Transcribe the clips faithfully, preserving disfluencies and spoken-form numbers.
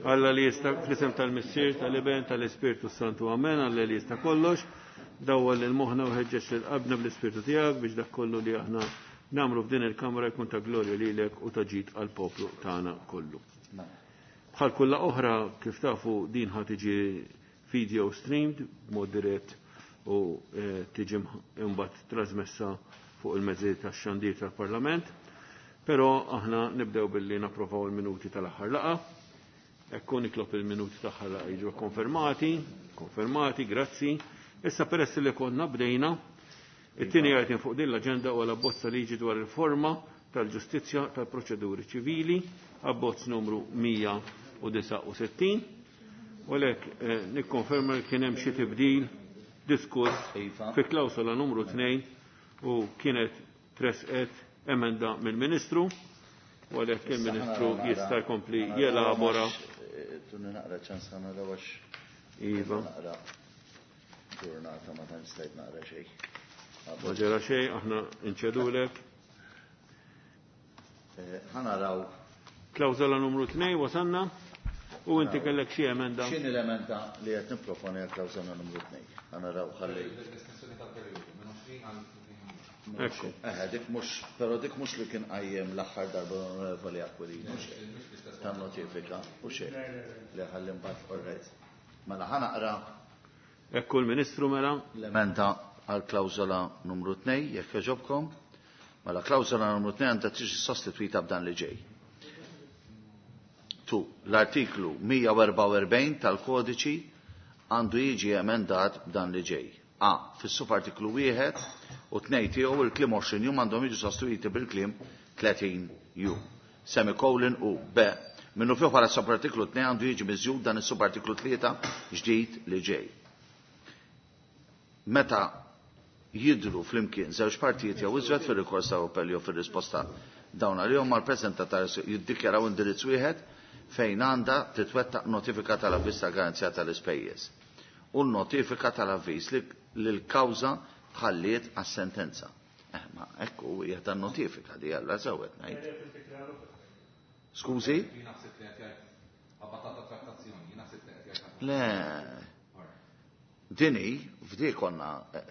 Alla li jista' fl-isem tal-Missier, tal-Iben, tal-Ispirtu Santu, amen. Alla li jista' kollox, dawwal lil moħħna u ħeġġeġ lil qalbna bl-Ispirtu tiegħek biex dak kollu li aħna nagħmlu f'din il-kamra jkun ta' glorja lilek u ta' ġid għall-poplu tagħna kollu. Bħal kull laqgħa oħra, kif tafu, din ħa tiġi video streamed b'mod dirett u eh, tiġi imbagħad trasmessa fuq il-mezzi tax-xandir tal-Parlament. Però aħna nibdew billi napprovaw il-minuti tal-aħħar laqgħa. Ekku nitlob il-minuti tal-aħħar laqgħa jiġu konfermati, konfermati, grazzi. Issa peress li konna bdejna, it-tieni item fuq din l-aġenda huwa l-abbozz ta' liġi dwar il-forma tal-ġustizzja tal-proċeduri ċivili, abbozz numru mija u disgħa u sittin. U għalhekk eh, nikkonferma li kien hemm xi tibdil diskuss Iva. fi klawsola numru tnejn u kienet tresqet emenda mill-Ministru u għalhekk il-Ministru jista' jkompli jelabora. Tuni naqra ċans ħa naraw għax. Iva. Naqra ġurnata ma tantx stajt naqra xejn. Ma ġara xejn, aħna nċedulek. Eh, ħa naraw. Klawsola numru tnejn wasanna u inti kellek xi emenda. X'inhi l-emenda li qed nipproponi għal klawsola numru tnejn? Ħa naraw ħalli. Ekku. Eh, dik mhux, però dik mhux li kien qajjem l-aħħar darba l-Onorevoli Aquilina. Ta' notifika u xejn. Li ħalli mbagħad, all right. Mela ħa naqra Ekku l-Ministru mela. l-emenda għal klawsola numru tnejn, jekk jogħġobkom. Mela klawsola numru tnejn għandha tiġi sostitwita b'dan li ġej. Tu, l-artiklu mija u erbgħa u erbgħin tal-kodiċi għandu jiġi emendat b'dan li ġej. A. Fis-subartiklu wieħed u tnejn tiegħu, il-kliem għoxrin jum għandhom jiġu sostituiti bil-kliem tletin jum. Semicolon u B. Minnufih wara subartiklu tnejn għandu jiġi miżjud dan is-subartiklu tlieta ġdid li ġej. Meta jidru flimkien żewġ partijiet jew iżjed fir-rikors ta' appell jew fir-risposta dawn għalihom mal-preżentatar jiddikjaraw indirizz wieħed fejn għandha titwettaq notifika tal-avviż ta' garanzija tal-ispejjeż u notifika tal-avviż li l-kawża tħalliet għas-sentenza. Eh, ma ekku hija tan notifika di għalla sewet ngħid. Skużi? Le. Dini, f'di konna eh,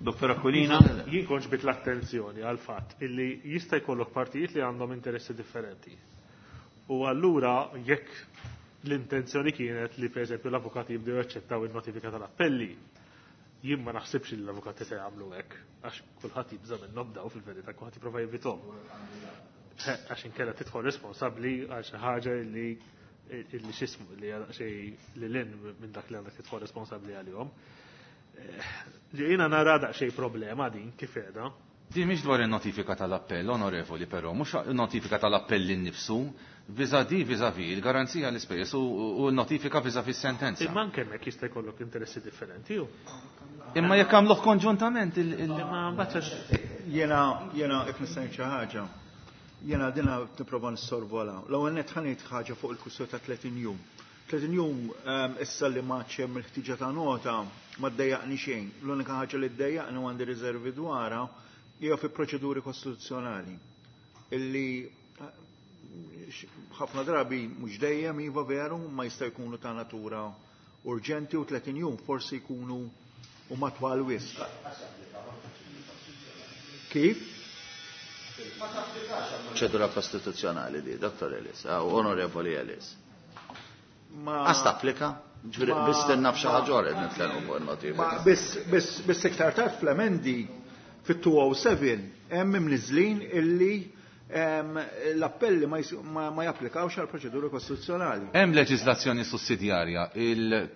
Dottor Aquilina. Jien kont ġbidt l-attenzjoni għal fatt illi jista' jkollok partijiet li għandhom interessi differenti. U allura jekk l-intenzjoni kienet li, pereżempju, l-avukati jibdew jaċċettaw il-notifika tal-appelli, jien ma naħsibx li l-avukati se jagħmlu hekk, għax kulħadd jibża minnhom daw fil-verità, kulħadd jipprova jevitahom. Eh, Għax inkella tidħol responsabbli għal xi ħaġa li illi x'ismu li xej li lin minn dak li għandek tidħol responsabbli għalihom. Li jiena nara daqsxejn problema din kif qiegħda. Di mhix dwar il-notifika tal-appell, onorevoli, però, mhux notifika tal-appell innifsu, vis-à-vis vis-à-vis il-garanzija l-ispejjeż u u l-notifika vis-à-vis sentenza. Imma anke hemmhekk jista' jkollok interessi differenti ju. Imma jekk għamluh konġuntament il- il- Imma mbagħad għax- Jena, jena, if nista' ngħid xi ħaġa, jena dina nipprova nissorvola. L-ewwel nett ħa ngħid ħaġa fuq il-kwistjoni ta' tletin jum. tletin jum ehm, issa li ma hemm il-ħtiġa ta' nota ma ddejjaqni xejn. L-unika ħaġa li ddejjaqni u għandi riservi dwarha hija fi proċeduri kostituzzjonali illi eh, ħafna drabi, mhux dejjem, iva veru, ma jista' jkunu ta' natura urġenti u tletin jum forsi jkunu u matwal wisq. Kif? Proċedura kostituzzjonali di, Dottor Ellis, ah, Onorevoli Ellis. Ma Għas tapplika? Ġifieri, Ma- bistenna f'xi ħaġa oħra qed nitkellmu fuq Ma il-notifika. biss biss biss iktar tard fl-emendi fit-mija u sebgħa hemm imniżlin illi em, l-appelli ma, jis- ma, ma japplikawx għal proċeduri kostituzzjonali. Hemm leġiżlazzjoni sussidjarja il-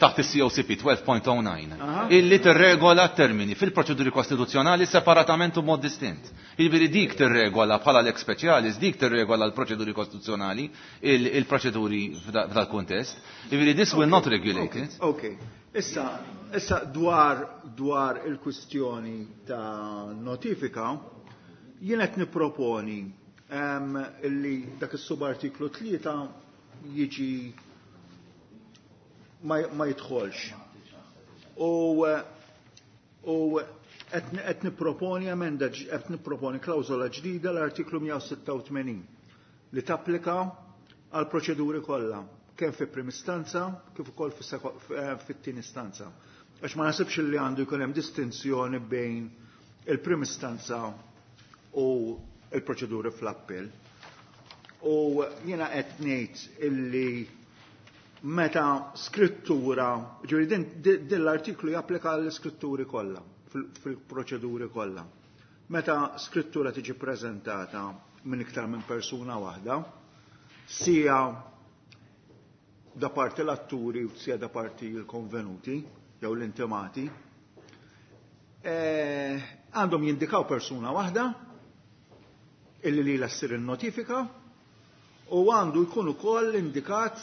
taħt il-C O C P tnax punt zero disa' Aha. illi tirregola termini fil-proċeduri kostituzzjonali separatament u mod distint. Jiġifieri dik tirregola bħala lex specialis, dik tirregola l-proċeduri kostituzzjonali, il- il-proċeduri f'da- f'dal-kuntest. Jiġifieri this will not regulate it. Ok, issa, issa dwar, dwar il-kwistjoni ta' notifika, jien qed niproponi em, illi dak is-subartiklu tlieta jiġi ma, ma jidħolx. U u qed qed nipproponi emenda ġ- qed nipproponi klawżola ġdida l-artiklu mija u sitta u tmenin. li tapplika għal proċeduri kollha, kemm fi prim istanza kif ukoll fit-tieni istanza. Għax ma nasibx li għandu jkun hemm distinzjoni bejn il-prim istanza u il-proċeduri fl-appell. U jiena qed ngħid illi meta skrittura, ġifieri din, din l-artiklu japplika għall-iskritturi kollha, fil-proċeduri kollha. Meta skrittura tiġi preżentata minn iktar minn persuna waħda, sija da parti l-atturi u sija da parti l-konvenuti jew l-intimati, għandhom eh, jindikaw persuna waħda illi li ssir il-notifika u għandu jkun ukoll indikat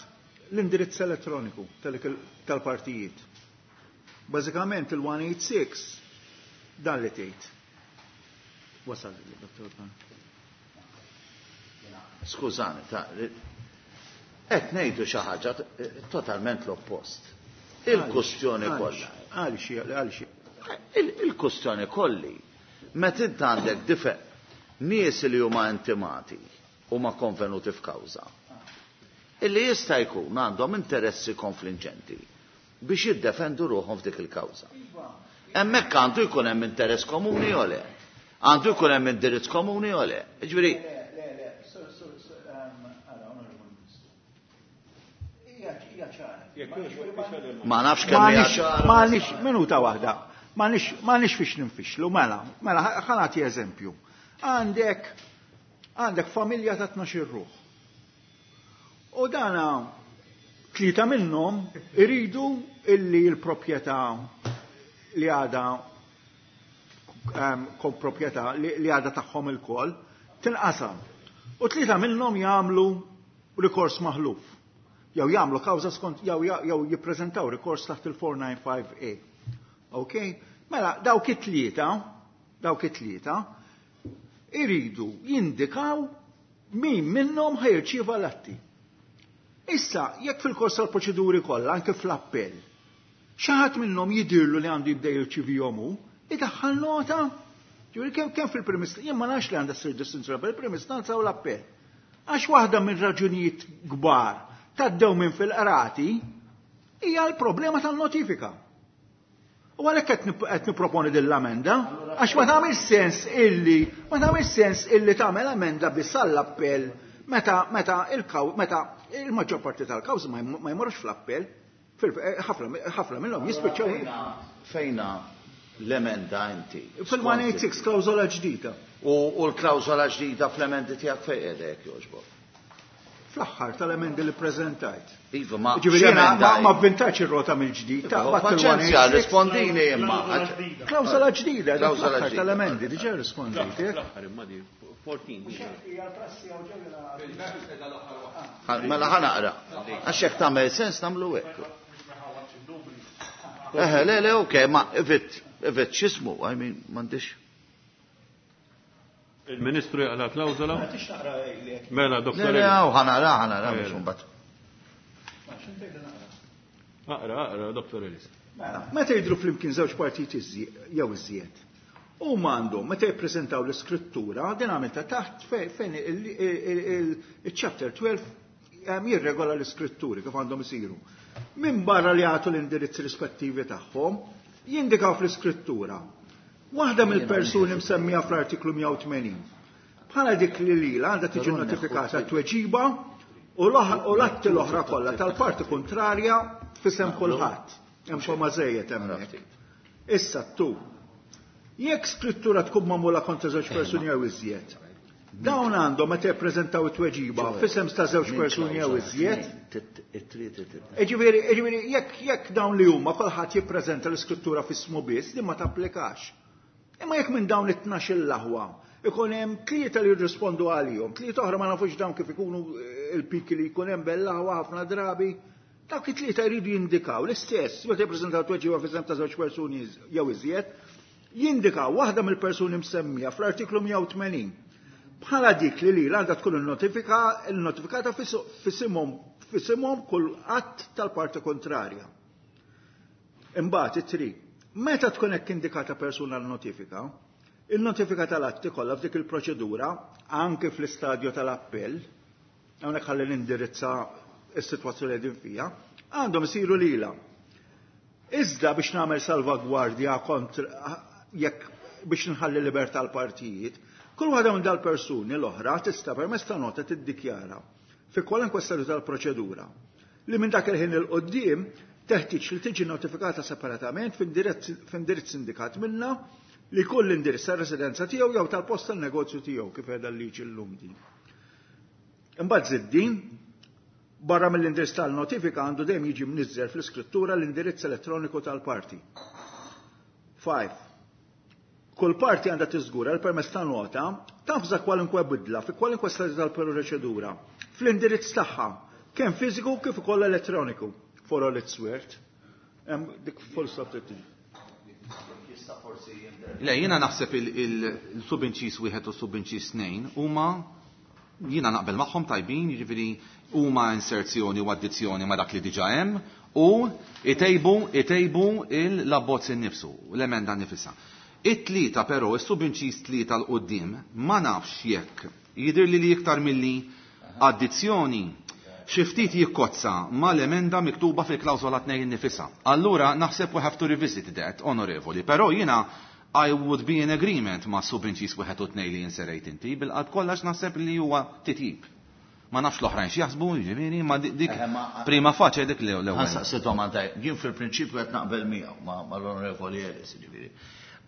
l-indirizz elettroniku tal-partijiet. Bażikament il-one eight six dan li tgħid. Wasal, Dottor Pan. Skużani, ta' qed ngħidu xi ħaġa totalment l-oppost. Il-kustjoni kollha. Għaliex, għaliex. Il-kustjoni kolli, meta int għandek dife nies li huma intimati huma konvenuti f'kawża, illi jista' jkun għandhom interessi konfliġenti biex jiddefendu ruħhom f'dik il-kawża. Hemmhekk għandu jkun hemm interess komuni jew le? Għandu jkun hemm indirizz komuni jew le? Jiġifieri. Le, le, Ma nafx kemm hija ċara. M'għandix minuta waħda. M'għandix fiex ninfixlu, mela, mela ħa nagħti eżempju. Għandek għandek familja ta' tnax-il ruħ. U dana tlieta minnhom iridu illi l-proprjetà li għadha kom proprjetà li għadha tagħhom ilkoll tinqasam. U tlieta minnhom jagħmlu rikors maħluf. Jew jagħmlu kawża skont jew jew jippreżentaw rikors taħt il-four nine five A. Ok? Mela dawk it-tlieta, dawk it-tlieta iridu jindikaw min minnhom ħajrċieva l-atti. Issa, jekk fil-kors tal-proċeduri kollha, anke fl-appell, xi ħadd minnhom jidirlu li għandu jibda jirċivihom hu, idaħħal nota. Ġifieri kemm kemm fil-prim istanza, jien ma nafx li għandha ssir distinzjoni bejn il-prim istanza u l-appell. Għax waħda minn raġunijiet kbar taddew minn fil-qrati hija l-problema tan-notifika. U għalhekk qed nipproponi din l-amenda, għax ma tagħmilx sens illi ma tagħmilx sens illi tagħmel amenda biss għall-appell meta meta il-kaw meta il-maġġor parti tal-kawżi ma jmorrux fl-appell, ħafna minnhom jispiċċaw. Fejna l-emenda inti? Fil-one eight six klawżola ġdida. U l-klawżola ġdida fl-emendi tiegħek fejn qiegħda jekk jogħġbok? Fl-aħħar tal-emendi li preżentajt. Iva, ma Ġifieri jiena x'emenda ma avvintax ir-rota mill-ġdid, ta' Iva, bat il-one paċenzja, eight six. rispondini imma. Klawżola ġdida, Klawżola fl-aħħar ġdida. tal-emendi, diġà risponditi. Fl-aħħar imma di fourteen. Mela ħa naqra. Għax jekk tagħmel sens nagħmlu hekk. Eħe, le, le, ok, ma if it, if it x'ismu, I mean, m'għandix. Il-Ministru jaqla klawżola? Mela, doktor. Le, le, ħa naqra, ħa naqra, mhux imbagħad. Aqra, aqra, doktor Ellis. Mela, meta jidhru flimkien żewġ partiti jew iżjed, huma għandhom meta jippreżentaw l-iskrittura, din għamilta taħt fejn il-chapter twelve jirregola l-iskritturi kif għandhom isiru. Min barra li jagħtu l-indirizzi rispettivi tagħhom, jindikaw fl-iskrittura. Waħda mill-persuni msemmija fl-artiklu mija u tmenin. Bħala dik li lila għandha tiġi notifikata t-tweġiba u l-atti l-oħra kollha tal-parti kontrarja f'isem kulħadd. Hemm xi żejjed hemmhekk. Issa tu. Jekk skrittura tkun magħmula kontra żewġ persuni jew iżjed, dawn għandhom meta jippreżentaw it-tweġiba f'isem ta' żewġ persuni jew iżjed. Ġifieri, ġifieri, jekk, jekk dawn li huma kulħadd jippreżenta l-iskrittura f'ismu biss, din ma tapplikax. Imma jekk minn dawn it-tnax il-aħwa ikun hemm tlieta li jirrispondu għalihom, tlieta oħra ma nafux dawn kif ikunu il-piki li jkun hemm bell-aħwa ħafna drabi, dawk it-tlieta jridu jindikaw l-istess, meta jippreżentaw tweġiba f'isem ta' żewġ persuni jew iżjed, jindikaw waħda mill-persuni msemmija fl-artiklu mija u tmenin. Bħala dik li lila għandha tkun il-notifika, il-notifikata f'isimhom, f'isimhom kull att tal-parti kontrarja. Imbagħad it-tri, meta tkun hekk indikata persuna l-notifika, il-notifika tal-atti kollha f'dik il-proċedura, anke fl-istadju tal-appell, Hawnhekk ħalli nindirizza s-sitwazzjoni li fija, għandhom isiru lilha. Iżda biex nagħmel salvagwardja kontra jekk biex nħalli libertà l-partijiet, kull waħda minn dal-persuni l-oħra tista' permezz ta' nota tiddikjara fi kwalunkwe stadju tal-proċedura li minn dak il-ħin 'il quddiem teħtieġ li tiġi notifikata separatament f'indirizz indikat minnha li kull indirizz tar-residenza tiegħu jew tal-post tan-negozju tiegħu kif qiegħda l-liġi llum din. Imbagħad żid din, barra mill-indirizz tal-notifika għandu dejjem jiġi mniżżel fl-iskrittura l-indirizz elettroniku tal-parti. Five. Kull parti għandha tiżgura l permezz ta' nota tavża kwalunkwe bidla fi kwalunkwe stadju tal-proċedura fl-indirizz tagħha, kemm fiżiku kif ukoll elettroniku. For all it's worth. Hemm dik full stop trid Jista' forsi Le, jiena naħseb il-subinċis wieħed u subinċis tnejn huma jiena naqbel magħhom tajbin, jiġifieri huma inserzjoni u addizzjoni ma' dak li diġà hemm u itejbu itejbu l-abbozz innifsu, l-emenda nifisha. It-tlieta però, is-subinċis tlieta 'l quddiem ma nafx jekk jidher li li iktar milli addizzjoni xi ftit jikkozza mal-emenda miktuba fil-klawżola tnejn nifisha. Allura naħseb we have to revisit that, onorevoli, però jiena I would be in agreement ma' subinċis wieħed u tnejn li inserejt inti, bil-qalb kollha naħseb li huwa titjib. Ma nafx l-oħrajn x'jaħsbu, jiġifieri, ma dik Eh, ma- prima facie dik l-ewwel. Ħa nsaqsi domanda, jien fil-prinċipju qed naqbel miegħu ma' mal-Onorevoli Ellis, jiġifieri.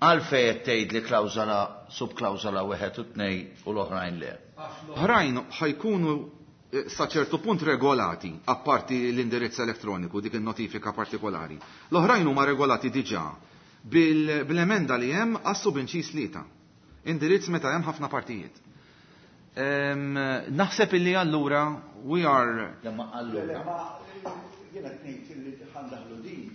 Għalfejn qed tgħid li klawżola subklawżola wieħed u tnejn u l-oħrajn le. Oħrajn ħa jkunu eh, sa ċertu punt regolati, apparti l-indirizz elettroniku, dik il-notifika partikolari. L-oħrajn huma regolati diġà bil- bil-emenda li hemm għas-subinċis tlieta. Indirizz meta hemm ħafna partijiet. Em, Naħseb illi allura we are Lemma allura. Jiena tnejn li ħa ndaħħlu din.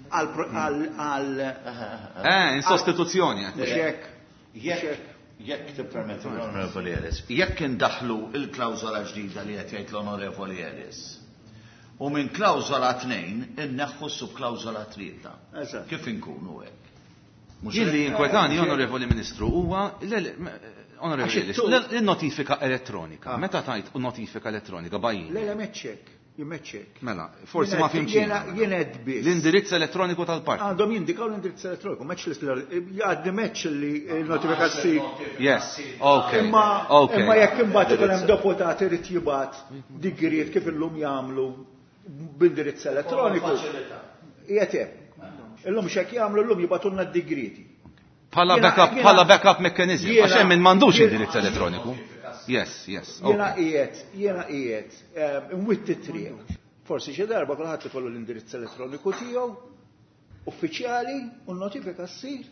Għal għal għal eh, in sostituzzjoni. mhux hekk. Jekk jekk tippermetti l-Onorevoli Ellis, jekk indaħlu il-klawżola ġdida li qed jgħid l-Onorevoli Ellis, u minn klawżola tnejn inneħħu subklawżola tlieta. Eżatt. Kif inkunu hekk? Mhux Jien li hekk? jinkwetani, Onorevoli Ministru, huwa le- le- Onorevoli Għax Ellis, it-tul- l- il-notifika elettronika. Meta tajt notifika elettronika bajjin? Le le meċċek, jimmeċċek. Mela, forsi ma fhimtx. Jiena jiena qed biss. L-indirizz elettroniku tal-parti. Għandhom jindikaw l-indirizz elettroniku, meċ li jgħaddi meċ li l-notifika ssir. Yes, okay. Imma okay. imma jekk imbagħad ikun hemm deputat irid jibgħat digriet kif illum jagħmlu b'indirizz elettroniku. Qiegħed hemm. Illum x'hekk jagħmlu llum jibgħatulna d-digrieti. Bħala Jiena- backup, jiena- bħala backup mechanism. jiena- Għax hemm min m'għandux jiena- indirizz elettroniku. Yes, yes. Jiena Okay. qiegħed, jiena qiegħed imwitti triq. Forsi xi darba kulħadd ikollu l-indirizz elettroniku tiegħu uffiċjali u n-notifika ssir.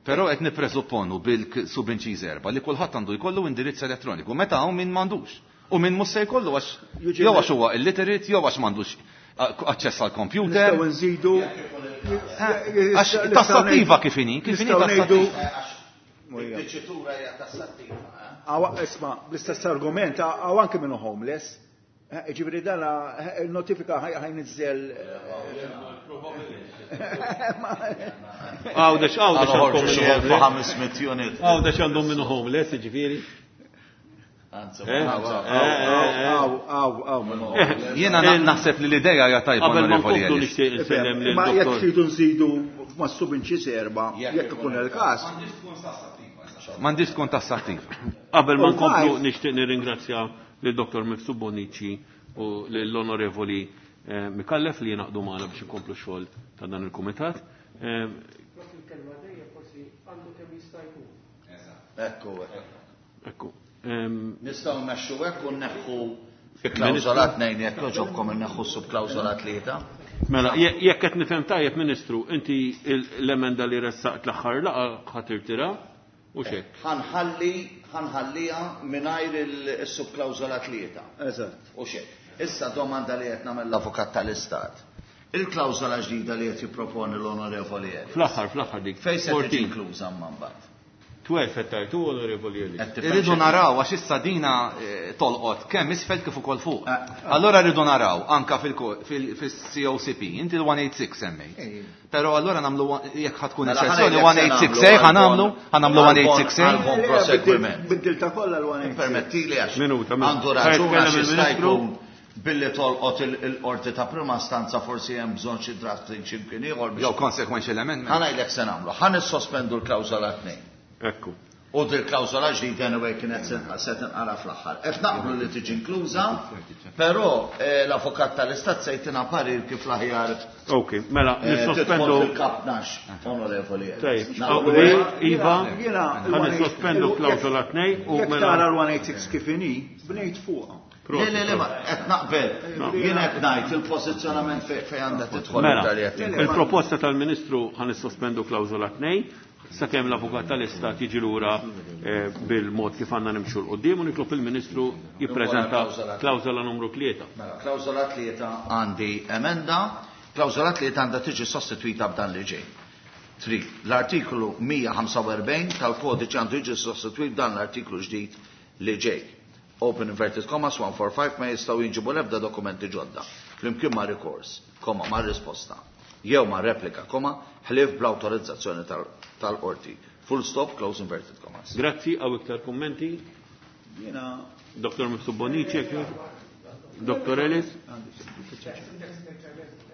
Però qed nippresupponu bil-subinċiż erba' li kulħadd għandu jkollu indirizz elettroniku. Meta hawn min m'għandux. U min mhux se jkollu għax Jiġi- jew għax huwa illiterate, jew għax m'għandux aċċess għal computer. Nistgħu nżidu Għax tassattiva kif inhi, kif inhi Nistgħu ngħidu tassattiva. Id-diċitura hija tassattiva. eh? Għaw, isma, bl-istess argument, għaw anke minnu homeless. Eh, Ġifieri dana, eh, il-notifika ħa jniżżel. Għawdex, għawdex Għal għandhom xi minnu homeless. ħames mitt unit. Għawdex għandhom minnu homeless, ġifieri. Anzi, Eh? ma- Għaw, għaw, għaw, minnu homeless. Jiena na- naħseb li l-idea hija tajba Qabel ma Onorevoli nkomplu Ellis. nixtieq insellem lil Ma jekk dottor. tridu nżidu ma' subinċis erba, jekk ikun il-każ. M'għandix tkun tassattiva. Qabel ma U nkomplu five. nixtieq nirringrazzja lil Dottor Mifsud Bonici u lill-Onorevoli eh, Micallef li jingħaqdu magħna biex ikomplu x-xogħol ta' dan il-kumitat. Eh, Il-kelma dejjem forsi għandu kemm jista' jkun. Ekku, ekku. Ekku. Ehm, Nistgħu mmexxu hekk u nneħħu fi klawżola tnejn jekk jogħġobkom inneħħu subklawżola tlieta. Mela, je- jekk qed nifhem tajjeb Ministru, inti il- l-emenda li ressaqt l-aħħar laqgħa ħa tirtira u xek. Ħa nħalli ħa nħalliha mingħajr il-subklawżola tlieta. Eżatt. U xek. Issa domanda li qed nagħmel l-avukat tal-Istat. Il-klawżola ġdida li qed jipproponi l-Onorevoli Ellis. Fl-aħħar, fl-aħħar dik. Fejn se tiġi fourteen. inkluża mbagħad? Twelve qed tajtu, Onorevoli Ellis. Irridu naraw għax issa dina tolqot kemm isfel kif ukoll fuq. Allora rridu naraw anka fil-C O C P, inti l-one eight six semmejt. Però allora nagħmlu jekk ħa tkun eċċezzjoni one eight six A ħa nagħmlu, ħa nagħmlu one eight six A. Għal-bon proseguiment. Biddilta kollha l-one eight six. Permettili għax Minuta, għandu raġun għax jista' jkun billi tolqot il-qorti ta' prima stanza forsi hemm bżonn xi drafting xi mkien ieħor biex Jew consequential amendment. Ħa ngħidlek se nagħmlu, ħa nissospendu l-klawżola tnejn. Ekku. U dil klawżola ġdida anyway kienet se tinqara fl-aħħar. Qed naqblu li tiġi inkluża, però l-avukat tal-Istat se jtina parir kif l-aħjar. Ok, mela nissospendu fil-kap tnax, Onorevoli. Tajjeb, Iva, ħa nissospendu klawżola tnejn u mela tara l-one eight six kif inhi, bnejt fuqha. Le, le, le, ma qed naqbel. Jien qed ngħid il-pożizzjonament fejn għandha tidħol. Mela, il-proposta tal-Ministru ħa nissospendu klawżola tnejn sakemm l-avukat tal-Istat jiġi lura bil-mod kif għandna nimxu l-qudiem u nitlob il-Ministru jippreżenta klawżola numru tlieta. Mela, klawżola tlieta għandi emenda, klawżola tlieta għandha tiġi sostitwita b'dan li ġej. Tri, l-artiklu mija ħamsa u erbgħin tal-kodiċi għandu jiġi sostitwit b'dan l-artiklu ġdid li ġej. Open inverted commas one four five ma jistgħu jinġibu l-ebda dokumenti ġodda flimkien ma' rikors, koma ma' risposta, jew ma' replika, koma, ħlief bl-awtorizzazzjoni tal-qorti. Full stop, close inverted commas. Grazzi, għaw iktar kummenti? Jiena Doktor Mifsud Bonnici, Doktor Ellis?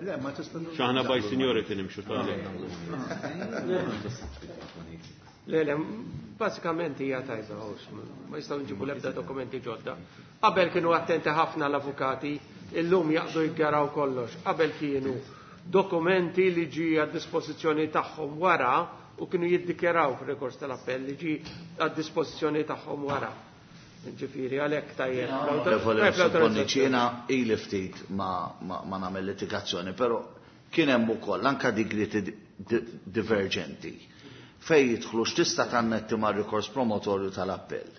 Le, ma tista' X'aħna by seniority nimxu tal-lejl. Le, le, basikament hija tajba, ma jistgħu nġibu l-ebda dokumenti ġodda. Qabel kienu attenti ħafna l-avukati, illum jaqdu jiggaraw kollox. Qabel kienu dokumenti li ġi għad dispożizzjoni tagħhom wara u kienu jiddikjaraw fir-rikors tal-appell li ġi għad dispożizzjoni tagħhom wara. Ġifieri għalhekk tajjeb. Jiena ili ftit ma nagħmel litigazzjoni, però kien hemm ukoll anke digriti diverġenti fej jidħlu x'tista' tannetti mar-rikors promotorju tal-appell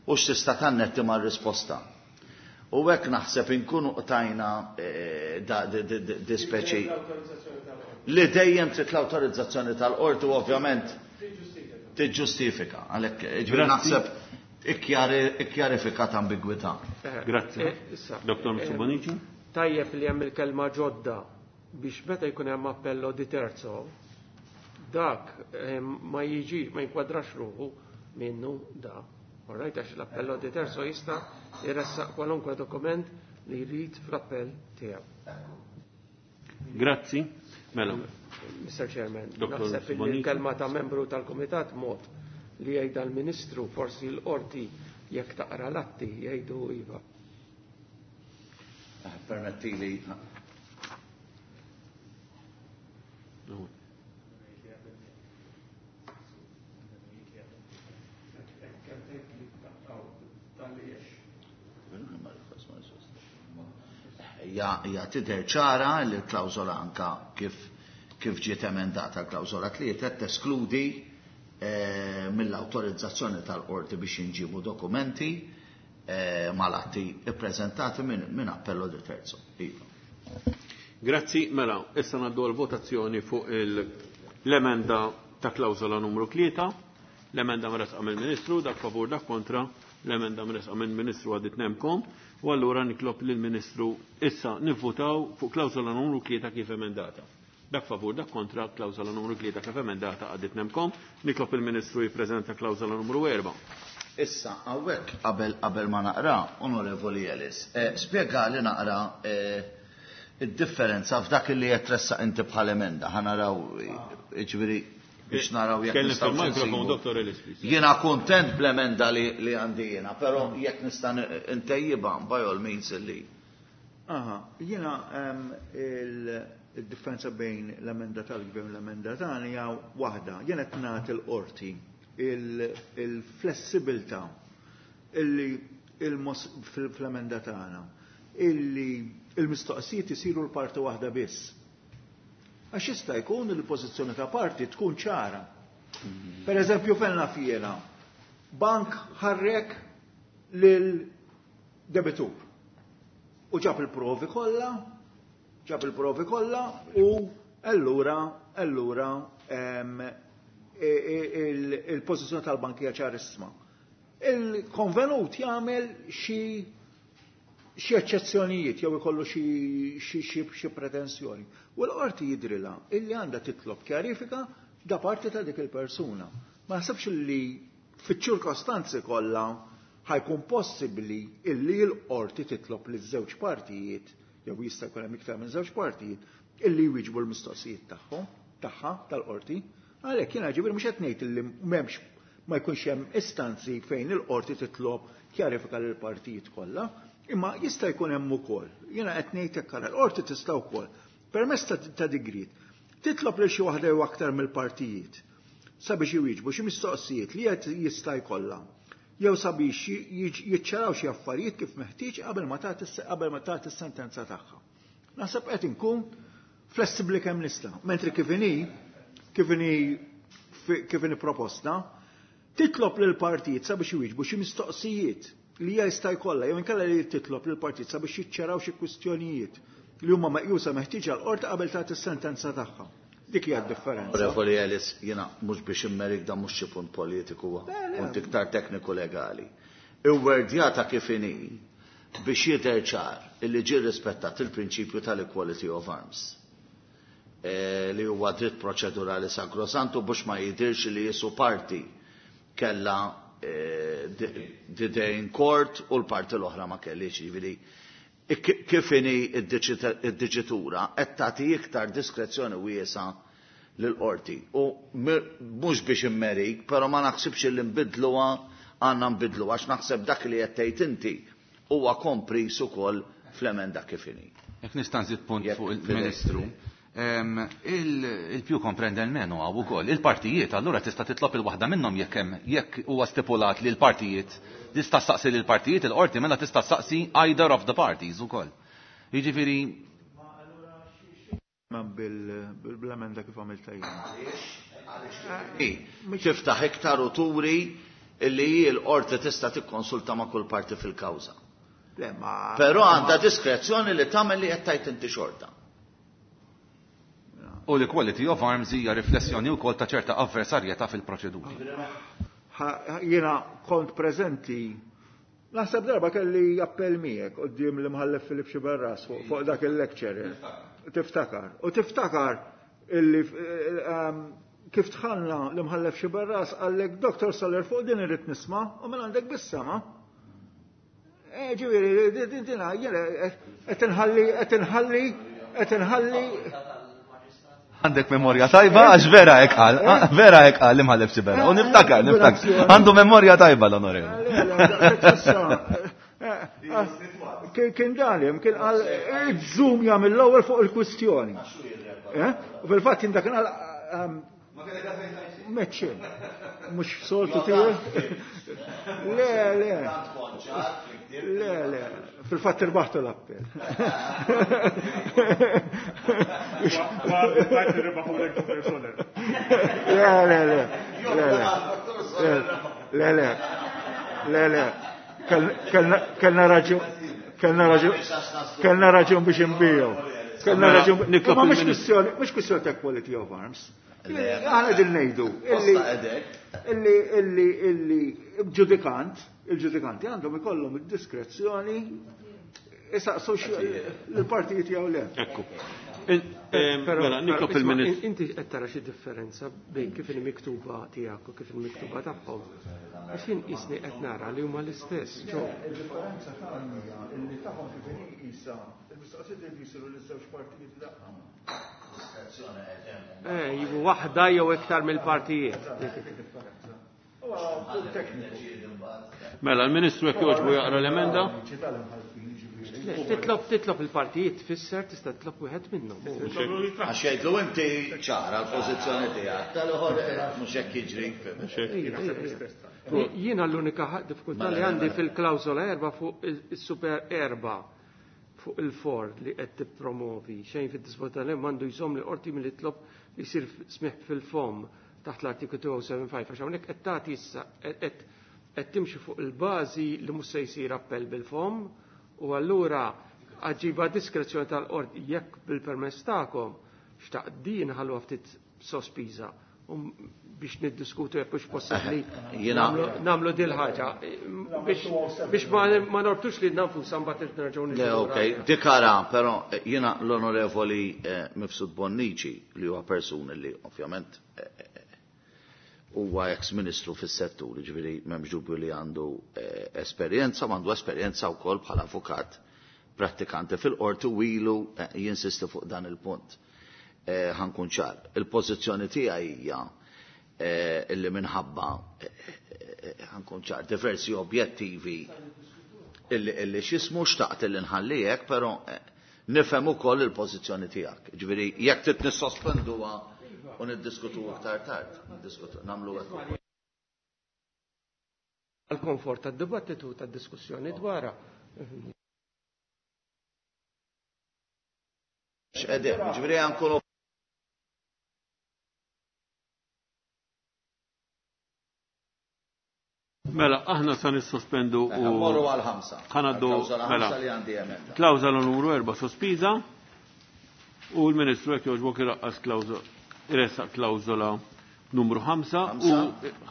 u x'tista' tannetti mar-risposta. U hekk naħseb inkunu qtajna di speċi li dejjem trid l-awtorizzazzjoni tal-qorti u ovvjament tiġġustifika. Għalhekk ġifieri naħseb ikkjarifikat ambigwità. Grazzi. Doktor Mifsud Bonnici. Tajjeb li hemm il-kelma ġodda biex meta jkun hemm appello di terzo dak ma jiġi, ma jinkwadrax ruħu minnu da. Orrajt, għax l-appello di terzo jista' jressaq kwalunkwe dokument li jrid fl-appell tiegħu. Grazzi. Mela. Mister Chairman, naħseb li l-kelma ta' membru tal-Kumitat mod li jgħidha l-Ministru, forsi l-qorti jekk taqra l-atti jgħidu iva. Permettili. Ja tidher ċara li l-klawżola anka kif kif ġiet emendata l-klawżola tlieta teskludi mill-awtorizzazzjoni tal-qorti biex jinġibu dokumenti mal-atti ippreżentati minn appello di terzo. Iva. Grazzi, mela, issa ngħaddu għal-votazzjoni fuq l-emenda ta' klawżola numru tlieta, l-emenda mresqa mill-Ministru, dak favur dak kontra, l-emenda mresqa mill-Ministru għaddit nemkom, u allura nitlob lill-Ministru issa nivvutaw fuq klawżola numru tlieta kif emendata. Dak favur, dak kontra, klawżola numru tlieta kif emendata għaddit nemkom, nitlob il-Ministru jippreżenta klawżola numru erba'. Issa, hawnhekk qabel qabel ma naqra, Onorevoli Ellis, spjegali naqra id-differenza f'dak li qed tressaq inti bħal emenda, ħa naraw, jiġifieri biex naraw jekk Tkellem nistgħu fil-mikrofon, nsibu. Doktor Ellis, please. Jiena kuntent bl-emenda li, li għandi jiena, però jekk nista' ntejjibha by all means illi. Aha, jiena il-differenza bejn l-emenda tal-gvern u l-emenda tagħna hija waħda. Jiena qed nagħti l-qorti il-flessibilità illi fl-emenda tagħna illi il-mistoqsijiet isiru l-parti waħda biss. Għax jista' jkun li l-pożizzjoni ta' parti tkun ċara. Per eżempju, fejn naf jiena, bank ħarrek lil debitur u ġab il-provi kollha, ġab il-provi kollha u allura, allura, em, il-pożizzjoni tal-bank hija ċarissima. Il-konvenut jagħmel xi xi eċċezzjonijiet jew ikollu xi pretensjoni. U l-qorti jidrilha illi għandha titlob kjarifika da parti ta' dik il-persuna. Ma naħsebx li fiċ-ċirkostanzi kollha ħajkun possibbli illi l-qorti titlob li żewġ partijiet jew jista' jkun hemm iktar minn żewġ partijiet illi jwieġbu l-mistoqsijiet tagħhom tagħha tal-qorti. Għalhekk jiena ġifieri mhux qed ngħid illi m'hemmx ma jkunx hemm istanzi fejn il-qorti titlob kjarifika lill partijiet kollha, imma jista' jkun hemm ukoll. Jiena qed ngħid hekk ara l-qorti tista' wkoll permezz ta' digrit titlob lil xi waħda jew aktar mill-partijiet sabiex iwieġbu xi mistoqsijiet li qed jista' jkollha jew sabiex jiċċaraw xi affarijiet kif meħtieġ qabel ma tagħti qabel ma tagħti s-sentenza tagħha. Naħseb qed inkun flessibbli kemm nista', mentri kif inhi kif inhi kif inhi proposta, titlob lil partijiet sabiex iwieġbu xi mistoqsijiet li hija jista' jkollha jew inkella li titlob lil partijiet sabiex jiċċaraw xi kwistjonijiet li huma meqjusa meħtieġa l-qorti qabel tagħti s-sentenza tagħha. Dik hija d-differenza. Onorevoli Ellis, jiena mhux biex immerik dan mhux xi punt politiku huwa, punt iktar tekniku legali. Iwwerdjata kif inhi biex jidher ċar illi ġie rispettat il-prinċipju tal-equality of arms. Li huwa dritt proċedurali sakrosantu biex ma jidirx li jisu parti kella the day in court u l-parti l-oħra ma kellix, jiġifieri kif inhi id-diċitura qed tagħti iktar diskrezzjoni wiesa lill-qorti. U mhux biex immerik, però ma naħsibx li nbidluha għandna nbidluha għax naħseb dak li qed tgħid inti huwa kompris ukoll fl-emenda kif inhi. Jekk nista' nżid punt fuq il-Ministru. Il-più comprende il meno għaw ukoll. Il-partijiet allura tista' titlob il-waħda minnhom jekk hemm jekk huwa stipulat li l-partijiet tista' saqsi lil partijiet il-qorti mela tista' saqsi either of the parties ukoll. Jiġifieri ma bil-emenda kif għamilta jien. Tiftaħ iktar u turi illi hi l-qorti tista' tikkonsulta ma' kull parti fil-kawża. Però għandha diskrezzjoni li tagħmel li qed tgħid inti xorta. U l-equality of arms hija riflessjoni wkoll ta' ċerta avversarjetà fil-proċeduri. Jiena kont preżenti naħseb darba kelli appell miegħek quddiem l-imħallef Filip Xiberras fuq dak il-lecture. Tiftakar. U tiftakar illi kif tħallna l-imħallef Xiberras għallek Doktor Soler fuq din irrid nisma' u minn għandek bis-sema. Ġifieri din jiena qed inħalli qed inħalli qed inħalli Għandek memorja tajba, għax vera hekk qal, vera hekk qal l-imħallef Xiberras. U niftakar, niftakar. Għandu memorja tajba l-onorevoli. Kien dalim, kien qal iż-żum jagħmel l-ewwel fuq il-kwistjoni. U fil-fatt kien dak qal meċċin. Mhux soltu tiegħi. Le, le. Le, le. Fil-fatt irbaħtu l-appell. Le, le, le. Le, le. Le, le. Kellna raġun, kellna raġun, kellna raġun biex inbiegħu. Kellna raġun. Ma mhux kwistjoni, mhux kwistjoni ta' equality of arms. Aħna din ngħidu illi illi illi illi ġudikant, il-ġudikanti għandhom ikollhom id-diskrezzjoni isaqsu l-partijiet jew le. Ekku. Mela, nitlob il-Ministru. Inti qed tara xi differenza bejn kif il-miktuba tiegħek u kif il-miktuba tagħhom. Għax jien qisni qed nara li huma l-istess. Il-differenza tagħhom hija illi tagħhom kif inhi qisha il-mistoqsijiet li jsiru liż-żewġ partijiet daqqa. Eh, jibu waħda jew iktar mill-partijiet. Mela, l-Ministru jekk jogħġbu jaqra l-emenda? Titlob titlob il-partijiet tfisser tista' titlob wieħed minnhom. Għax jgħidlu inti ċara l-pożizzjoni tiegħek, tal-ieħor mhux hekk jiġri. Jiena l-unika diffikultà li għandi fil-klawżola erba' fuq is-super erba' fuq il-Ford li qed tippromovi xejn fid-dispożizzjoni m'għandu jżomm li qorti milli titlob li jsir smih fil-fom taħt l-artiklu two oh seven five għax hawnhekk qed tagħti issa qed timxi fuq il-bażi li mhux se jsir appell bil-fom u allura għaġiba diskrezzjoni tal-qorti jekk bil-permess tagħkom xtaqt din ħalluha ftit sospiża. biex niddiskutu jekk hux possibbli nagħmlu dil ħaġa biex ma norbtux li nafusna mbagħad nerġgħu Le, okej, dikara, però jiena l-Onorevoli Mifsud Bonnici li huwa persuna li ovvjament huwa ex-ministru fis-settur, jiġifieri m'hemmx dubju li għandu esperjenza, m'għandu esperjenza wkoll bħala avukat prattikanti fil-qorti u ilu jinsisti fuq dan il-punt. Ħankun ċar. Il-pożizzjoni tiegħi hija illi minħabba ħankun ċar diversi objettivi illi x'ismu xtaqt illi nħalli hekk, però nifhem ukoll il-pożizzjoni tiegħek. Ġifieri jekk trid nissospenduha u niddiskutu aktar tard, niddiskutu nagħmlu hekk. Għal-komfort tad-dibattitu tad-diskussjoni dwarha. X'qegħdin, ġifieri nkunu Mela, aħna sa nissospendu u morru għal ħamsa. Ħanaddu mela. Li għandi emenda. Klawżola numru erba' sospiża u l-Ministru jekk jogħġbok iraqqas klawżola iressaq klawżola numru ħamsa u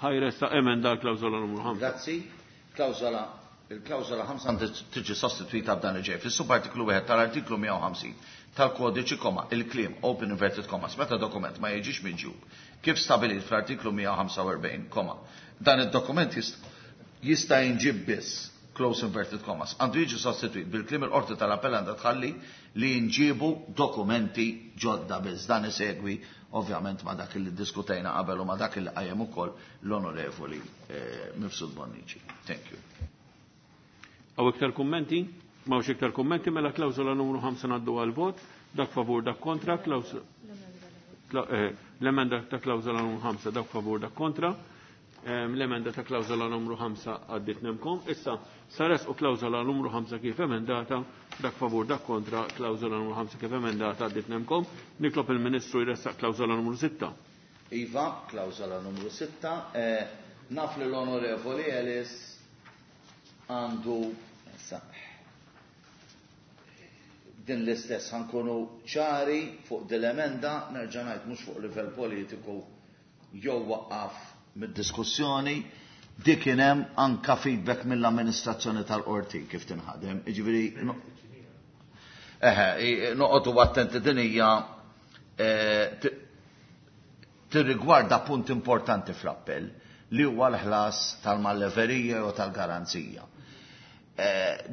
ħajressaq emenda l-klawżola numru ħamsa. Grazzi. Klawżola il-klawżola ħamsa għandha tiġi sostitwita b'dan li ġej. Fis-subartiklu wieħed tal-artiklu mija u ħamsin tal-kodiċi koma il-kliem open inverted commas meta dokument ma jiġix miġjub kif stabilit fl-artiklu mija u ħamsa u erbgħin koma dan id-dokument jista' jinġib biss close inverted commas għandu jiġi sostitwit bil-kliem il-qorti tal-appell għandha tħalli li jinġibu dokumenti ġodda biss. Dan isegwi ovvjament ma dak li diskutejna qabel u ma dak li qajjem ukoll l-Onorevoli Mifsud Bonnici. Thank you. Hawn iktar kummenti? M'hawnx iktar kummenti, mela klawżola numru ħamsa ngħaddu għal-vot, dak favur dak kontra, l-emenda ta' klawżola numru ħamsa dak favur dak kontra, l-emenda ta' klawżola numru ħamsa għaddit nemkom. Issa sares u klawżola numru ħamsa kif emendata, dak favur dak kontra, klawżola numru ħamsa kif emendata għaddit nemkom. Nitlob il-Ministru jressaq klawżola numru sitta. Iva, klawżola numru sitta. Naf li l-Onorevoli Ellis għandu din l-istess ħankunu ċari fuq dil-emenda, nerġa' ngħid mhux fuq livell politiku jew waqqaf mid-diskussjoni, dik kien hemm anka feedback mill-amministrazzjoni tal-qorti kif tinħadem. Jiġifieri eħe, noqogħdu attenti din hija tirrigwarda punt importanti fl-appell li huwa l-ħlas tal-malleverija jew tal-garanzija.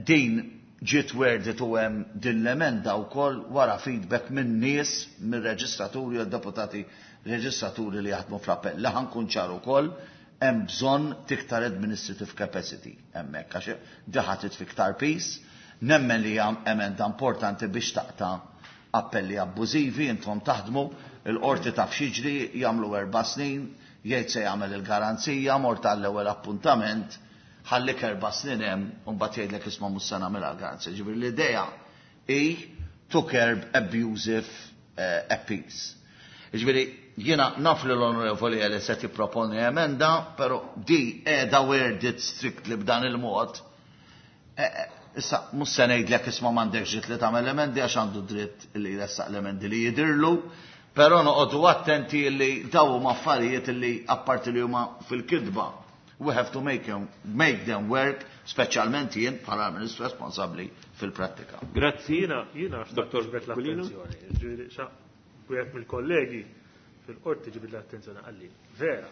Din ġiet worded u hemm din l-emenda wkoll wara feedback minn nies, mir-reġistraturi u deputati reġistraturi li jaħdmu fl-appell. Li ħankun ċar ukoll hemm bżonn tiktar administrative capacity hemmhekk għax diħatit fiktar peace, nemmen li hemm emenda importanti biex taqta' appelli abbużivi, intom taħdmu, il-qorti taf x'jiġri, jagħmlu erba' snin, jgħid se jagħmel il-garanzija, mort għall-ewwel appuntament, ħallik erba' snin hemm u mbagħad jgħidlek isma' mhux se nagħmilha garanzija. Ġifieri l-idea hi to curb abusive appeals. Ġifieri jiena naf li l-Onorevoli Ellis qed jipproponi emenda, però di qiegħda worded strictly b'dan il-mod. Issa mhux se ngħidlek isma' m'għandekx dritt li tagħmel emendi għax għandu dritt li jressaq l-emendi li jidhirlu, però noqogħdu attenti li daw huma affarijiet li apparti li huma fil-kidba. We have to make them, make them work, speċjalment jien bħala ministru responsabbli fil-prattika. Grazzi. Jiena jiena Dottor ġbet l-attenzjoni. Wieħed mill-kollegi fil-qorti ġibid l-attenzjoni qalli vera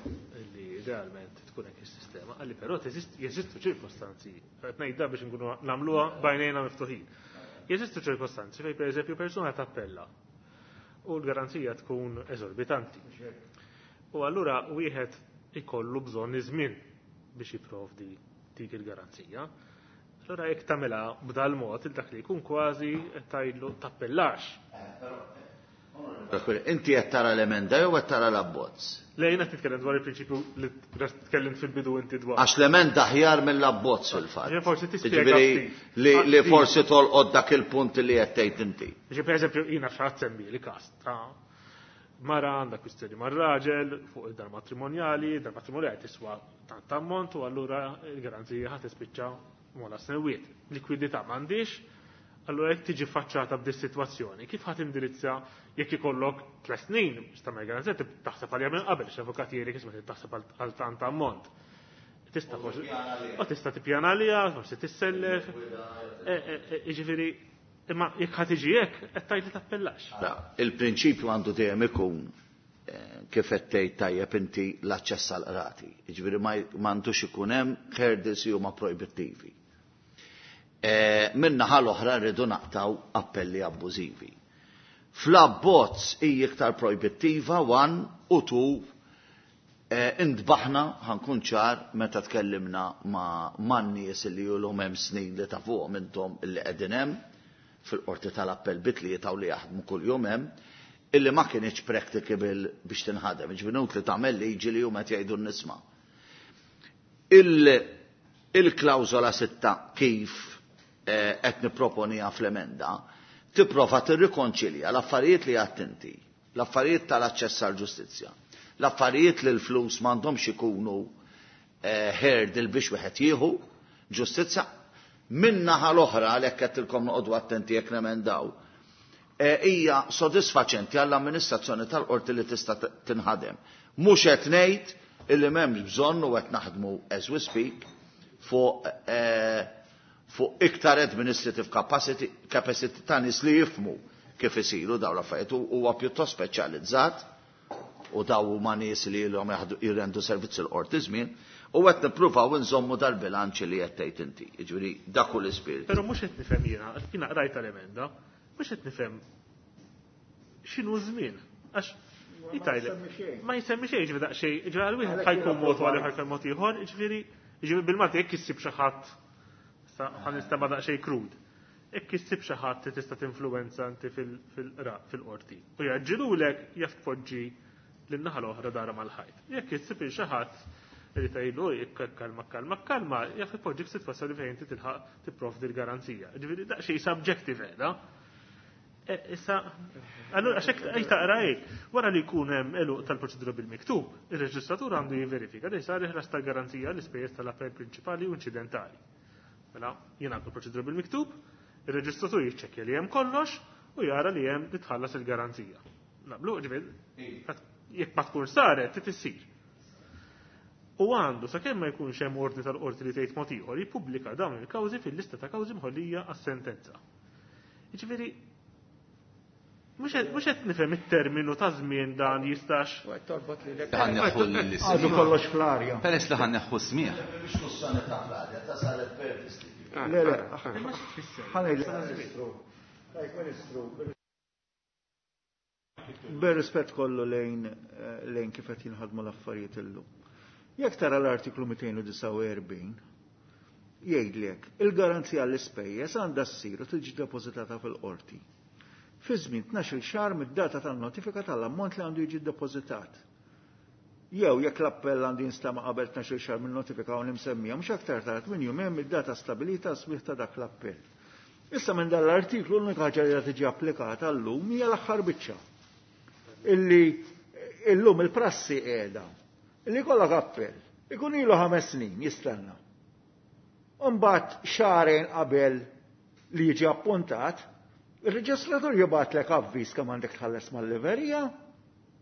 li idealment tkun hekk is-sistema, qalli però jeżistu ċirkostanzi, qed ngħid biex nkunu nagħmluha bajnejna miftuħin. Jeżistu ċirkostanzi fejn pereżempju persuna tappella u l-garanzija tkun eżorbitanti. U allura wieħed ikollu bżonn iż-żmien biex jipprovdi dik il-garanzija. Allora jekk tagħmilha b'dal mod il dak li jkun kważi qed tgħidlu tappellax. Inti qed tara l-emenda jew qed tara l-abbozz? Le, jiena nitkellem dwar il-prinċipju li tkellimt fil-bidu inti dwar. Għax l-emenda aħjar mill-abbozz fil-fatt. Ġifieri forsi tispjega li li forsi tolqod dak il-punt li qed tgħid inti. Ġifieri pereżempju jiena x'ħadd semmi li każ ta' mara għandha kwistjoni mar-raġel fuq il-dar matrimonjali, dar matrimonjali tiswa tant ammont u allura l-garanzija ħadd tispiċċa mola snewiet. Likwidità m'għandix, Allura jekk tiġi faċċata b'dis sitwazzjoni, kif ħadd indirizza jekk ikollok tliet snin, biex tagħmel garanzija taħseb għalija minn qabel, x'avukat jgħidlek isma' taħseb għal tant ammont. Tista' forsi u tista' tippjana għaliha, forsi tissellef. Jiġifieri, imma jekk ħadd tiġi hekk, qed tgħid li tappellax. Il-prinċipju għandu dejjem ikun kif qed tgħid tajjeb inti l-aċċess għall qrati. Jiġifieri m'għandux ikun hemm hurdles li huma projbittivi. Min-naħa l-oħra rridu naqtaw appelli abbużivi. Fl-abbozz hija iktar projbittiva one u two intbaħna ħankun ċar meta tkellimna ma' nies li ilhom hemm snin li tafuhom intom illi qegħdin hemm fil-qorti tal-appell bitlieta u li jaħdmu kuljum hemm, illi ma kienx practicable biex tinħadem, ġifieri li tagħmel liġi li huma qed jgħidu n-nisma. Il-klawżola sitta kif qed nipproponija fl-emenda tipprova tirrikonċilja l-affarijiet li għadt inti, l-affarijiet tal-aċċess għall-ġustizzja, l-affarijiet li l-flus m'għandhomx ikunu hurdle biex wieħed jieħu ġustizzja, min-naħa l-oħra għalhekk qed noqogħdu attenti jekk nemendaw, hija sodisfaċenti għall-amministrazzjoni tal-qorti li tista' tinħadem. Mhux qed ngħid illi m'hemmx bżonn u qed naħdmu as we speak fuq fuq iktar administrative capacity, capacity ta' nies li jifmu kif isiru dawn l-affarijiet huwa pjuttost speċjalizzat u daw huma nies li ilhom jirrendu servizz il-qorti żmien u qed nippruvaw inżommu dal-bilanċ li qed tgħid inti. Jiġifieri dak hu l-ispirtu. Però mhux qed nifhem jiena, jiena qrajt l-emenda, mhux qed nifhem x'inhu żmien. Għax ma jsemmi xejn, ġifieri daqsxejn, ġifieri għal wieħed ħajkun mod u għal ħajkun mod ieħor, ġifieri ġifieri bil-Malti jekk issib xi ħadd ħa nistema' daqsxejn krud. Jekk issib xi ħadd li tista' tinfluwenza inti fil-qorti. U jaġġilulek jaf tpoġġi lin-naħa l-oħra dara mal-ħajt. Jekk issib xi ħadd li tgħidlu kalma kalma kalma, jaf ipoġġi f'sitwazzjoni fejn inti tilħaq tipprovdi l-garanzija. Ġifieri daqsxejn subjective qiegħda. Issa, allura għax hekk taqra hekk, wara li jkun hemm għeluq tal-proċedura bil-miktub, ir-reġistratur għandu jiverifika li sar il-ħlas tal-garanzija l-ispejjeż tal-appell prinċipali u inċidentali. Mela, jien għandu proċedura bil-miktub, ir-reġistratur jiċċekkja li hemm kollox u jara li hemm li tħallas il-garanzija. Naqblu, ġifieri, jekk ma tkun saret, trid issir. U għandu, sakemm ma jkunx hemm ordni tal-qorti li tgħid mod ieħor, jippubblika dawn il-kawżi fil-lista ta' kawżi mħollija għas-sentenza. Jiġifieri, mhux qed nifhem it-terminu ta' żmien dan jistax. Għadu kollox fl-arja. Peress li ħa nneħħu smigħ. Le, le, ħa ngħid Ministru, bir-rispett kollu lejn lejn kif qed jinħadmu l-affarijiet illum. Jekk tara l-artiklu mitejn u disgħa u erbgħin, jgħidlek il-garanzija l-ispejjeż għandha ssir u tiġi depożitata fil-qorti. Fi żmien tnax-il xahar mid-data tan-notifika tal-ammont li għandu jiġi ddepożitat. Jew jekk l-appell għandu jinstama' qabel tnax-il xahar min-notifika u nimsemmija mhux aktar tard minn jumejn mid-data stabilita smigħ ta' dak l-appell. Issa minn dan l-artiklu l-unika ħaġa li tiġi applikata llum hija l-aħħar biċċa. Illi illum il-prassi qiegħda. Illi jkollok appell, ikun ilu ħames snin jistenna. Imbagħad xahrejn qabel li jiġi appuntat, il-reġistratur jibgħatlek avviż kemm għandek tħalles mal-liverija,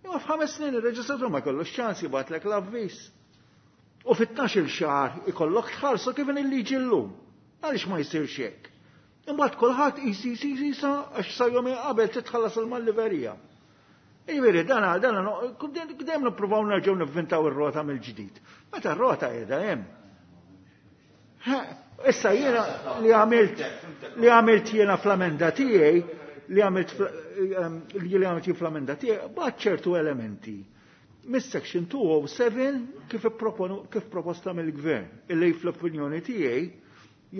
imma f'ħames snin il-reġistratur ma jkollux ċans jibgħatlek l-avviż. U fit-tnax-il xahar ikollok tħallsu kif il-liġi llum. Għaliex ma jsirx hekk? Imbagħad kulħadd isi isi isa għax sa jum qabel titħallas mal-liverija. Jiġifieri dan dan dejjem nippruvaw nerġgħu nivvintaw ir-rota mill-ġdid. Meta r-rota qiegħda hemm. Issa jiena li għamilt li għamilt jiena fl-amenda tiegħi li għamilt li għamilt jien fl-amenda tiegħi b'għad ċertu elementi. Mis-section two oh seven kif ipproponu kif proposta mill-gvern illi fl-opinjoni tiegħi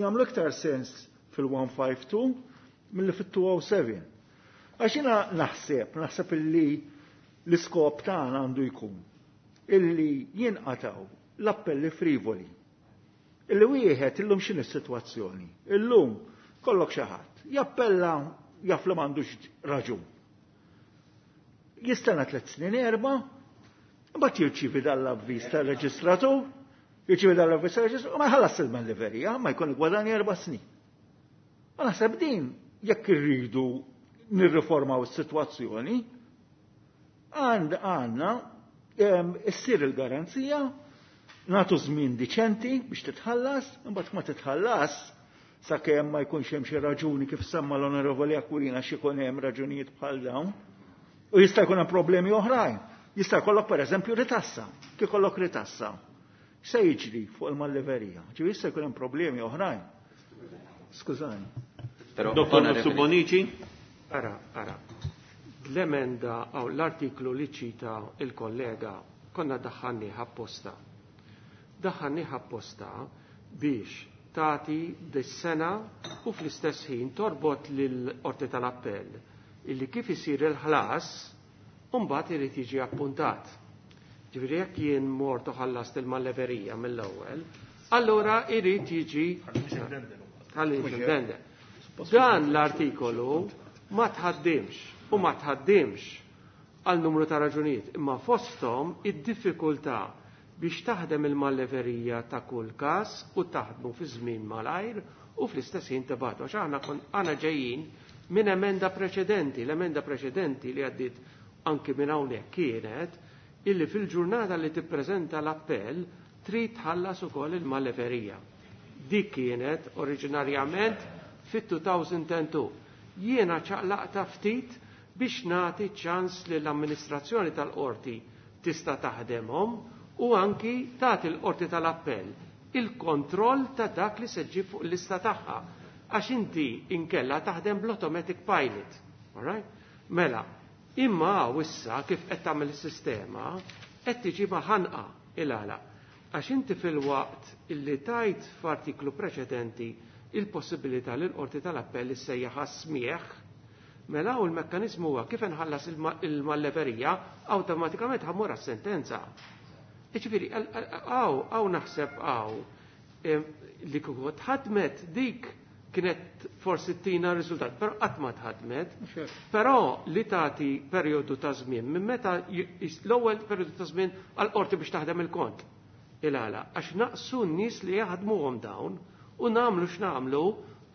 jagħmlu iktar sens fil-one five two milli fit-two oh seven. Għax jiena naħseb, naħseb illi l-iskop tagħna għandu jkun illi jinqataw l-appelli frivoli. Illi wieħed illum x'inhi s-sitwazzjoni? Illum kollok xi ħadd jappella jaf li m'għandux raġun. Jistenna tliet snin erba', imbagħad jirċievi dal-avviż tar-reġistratur, jirċievi dal-avviż tar-reġistratur u ma jħallas il-malliverija, ma jkun igwadanja erba' snin. Ma naħseb din Jekk irridu nirriformaw is-sitwazzjoni, għand għandna issir il-garanzija, nagħtu żmien diċenti biex titħallas, imbagħad ma titħallas sakemm ma jkunx hemm xi raġuni kif semma l-Onorevoli Aquilina xi jkun hemm raġunijiet bħal dawn. U jista' jkun hemm problemi oħrajn. Jista' jkollok pereżempju ritassa, kif ikollok ritassa. Se jiġri fuq il-malleverija? Ġifieri jista' jkun hemm problemi oħrajn. Skużani. Dottor Bonici. Ara, ara. L-emenda aw l-artiklu li ċita il-kollega konna daħħalnieh apposta. Daħħalnieh apposta biex tagħti dis-sena u fl-istess ħin torbot lill-Qorti tal-Appell illi kif isir il-ħlas u mbagħad irid jiġi appuntat. Ġifieri jekk jien mort u ħallast il-malleverija mill-ewwel, allura irid jiġi ħalli. Dan l-artikolu ma tħaddimx u ma tħaddimx għal numru ta' raġunijiet, imma fosthom id-diffikultà biex taħdem il-malleverija ta' kull każ u taħdmu fi żmien malajr u fl-istess ħin tibgħatu. Għax aħna aħna ġejjin minn emenda preċedenti, l-emenda preċedenti li għaddiet anki minn hawnhekk kienet illi fil-ġurnata li tippreżenta l-appell trid tħallas ukoll il-malleverija. Dik kienet oriġinarjament fit-two thousand two. Jiena ċaqlaqta ftit biex nagħti ċans li l-amministrazzjoni tal-qorti tista' taħdemhom u anki tagħti l-qorti tal-appell il-kontroll ta' dak li se ġib fuq l-lista tagħha. Għax inti inkella taħdem bl-automatic pilot. All right? Mela, imma issa kif qed tagħmel is-sistema qed tiġi ħanqa il-għala. Għax inti fil-waqt illi tajt f'artiklu preċedenti il-possibilità li l-qorti tal-appell issejjaħ smieħ, mela u l-mekkanizmu huwa kif inħallas il-malleverija awtomatikament ħammur għas-sentenza. Iġifieri, għaw, għaw naħseb għaw li kieku tħadmet dik kienet forsi tina riżultat, però qatt ma tħadmet, però li tagħti perjodu ta' żmien minn meta l-ewwel perjodu ta' żmien għall-qorti biex taħdem il-kont. Il-għala, għax naqsu n-nies li jaħdmuhom dawn u nagħmlu x'nagħmlu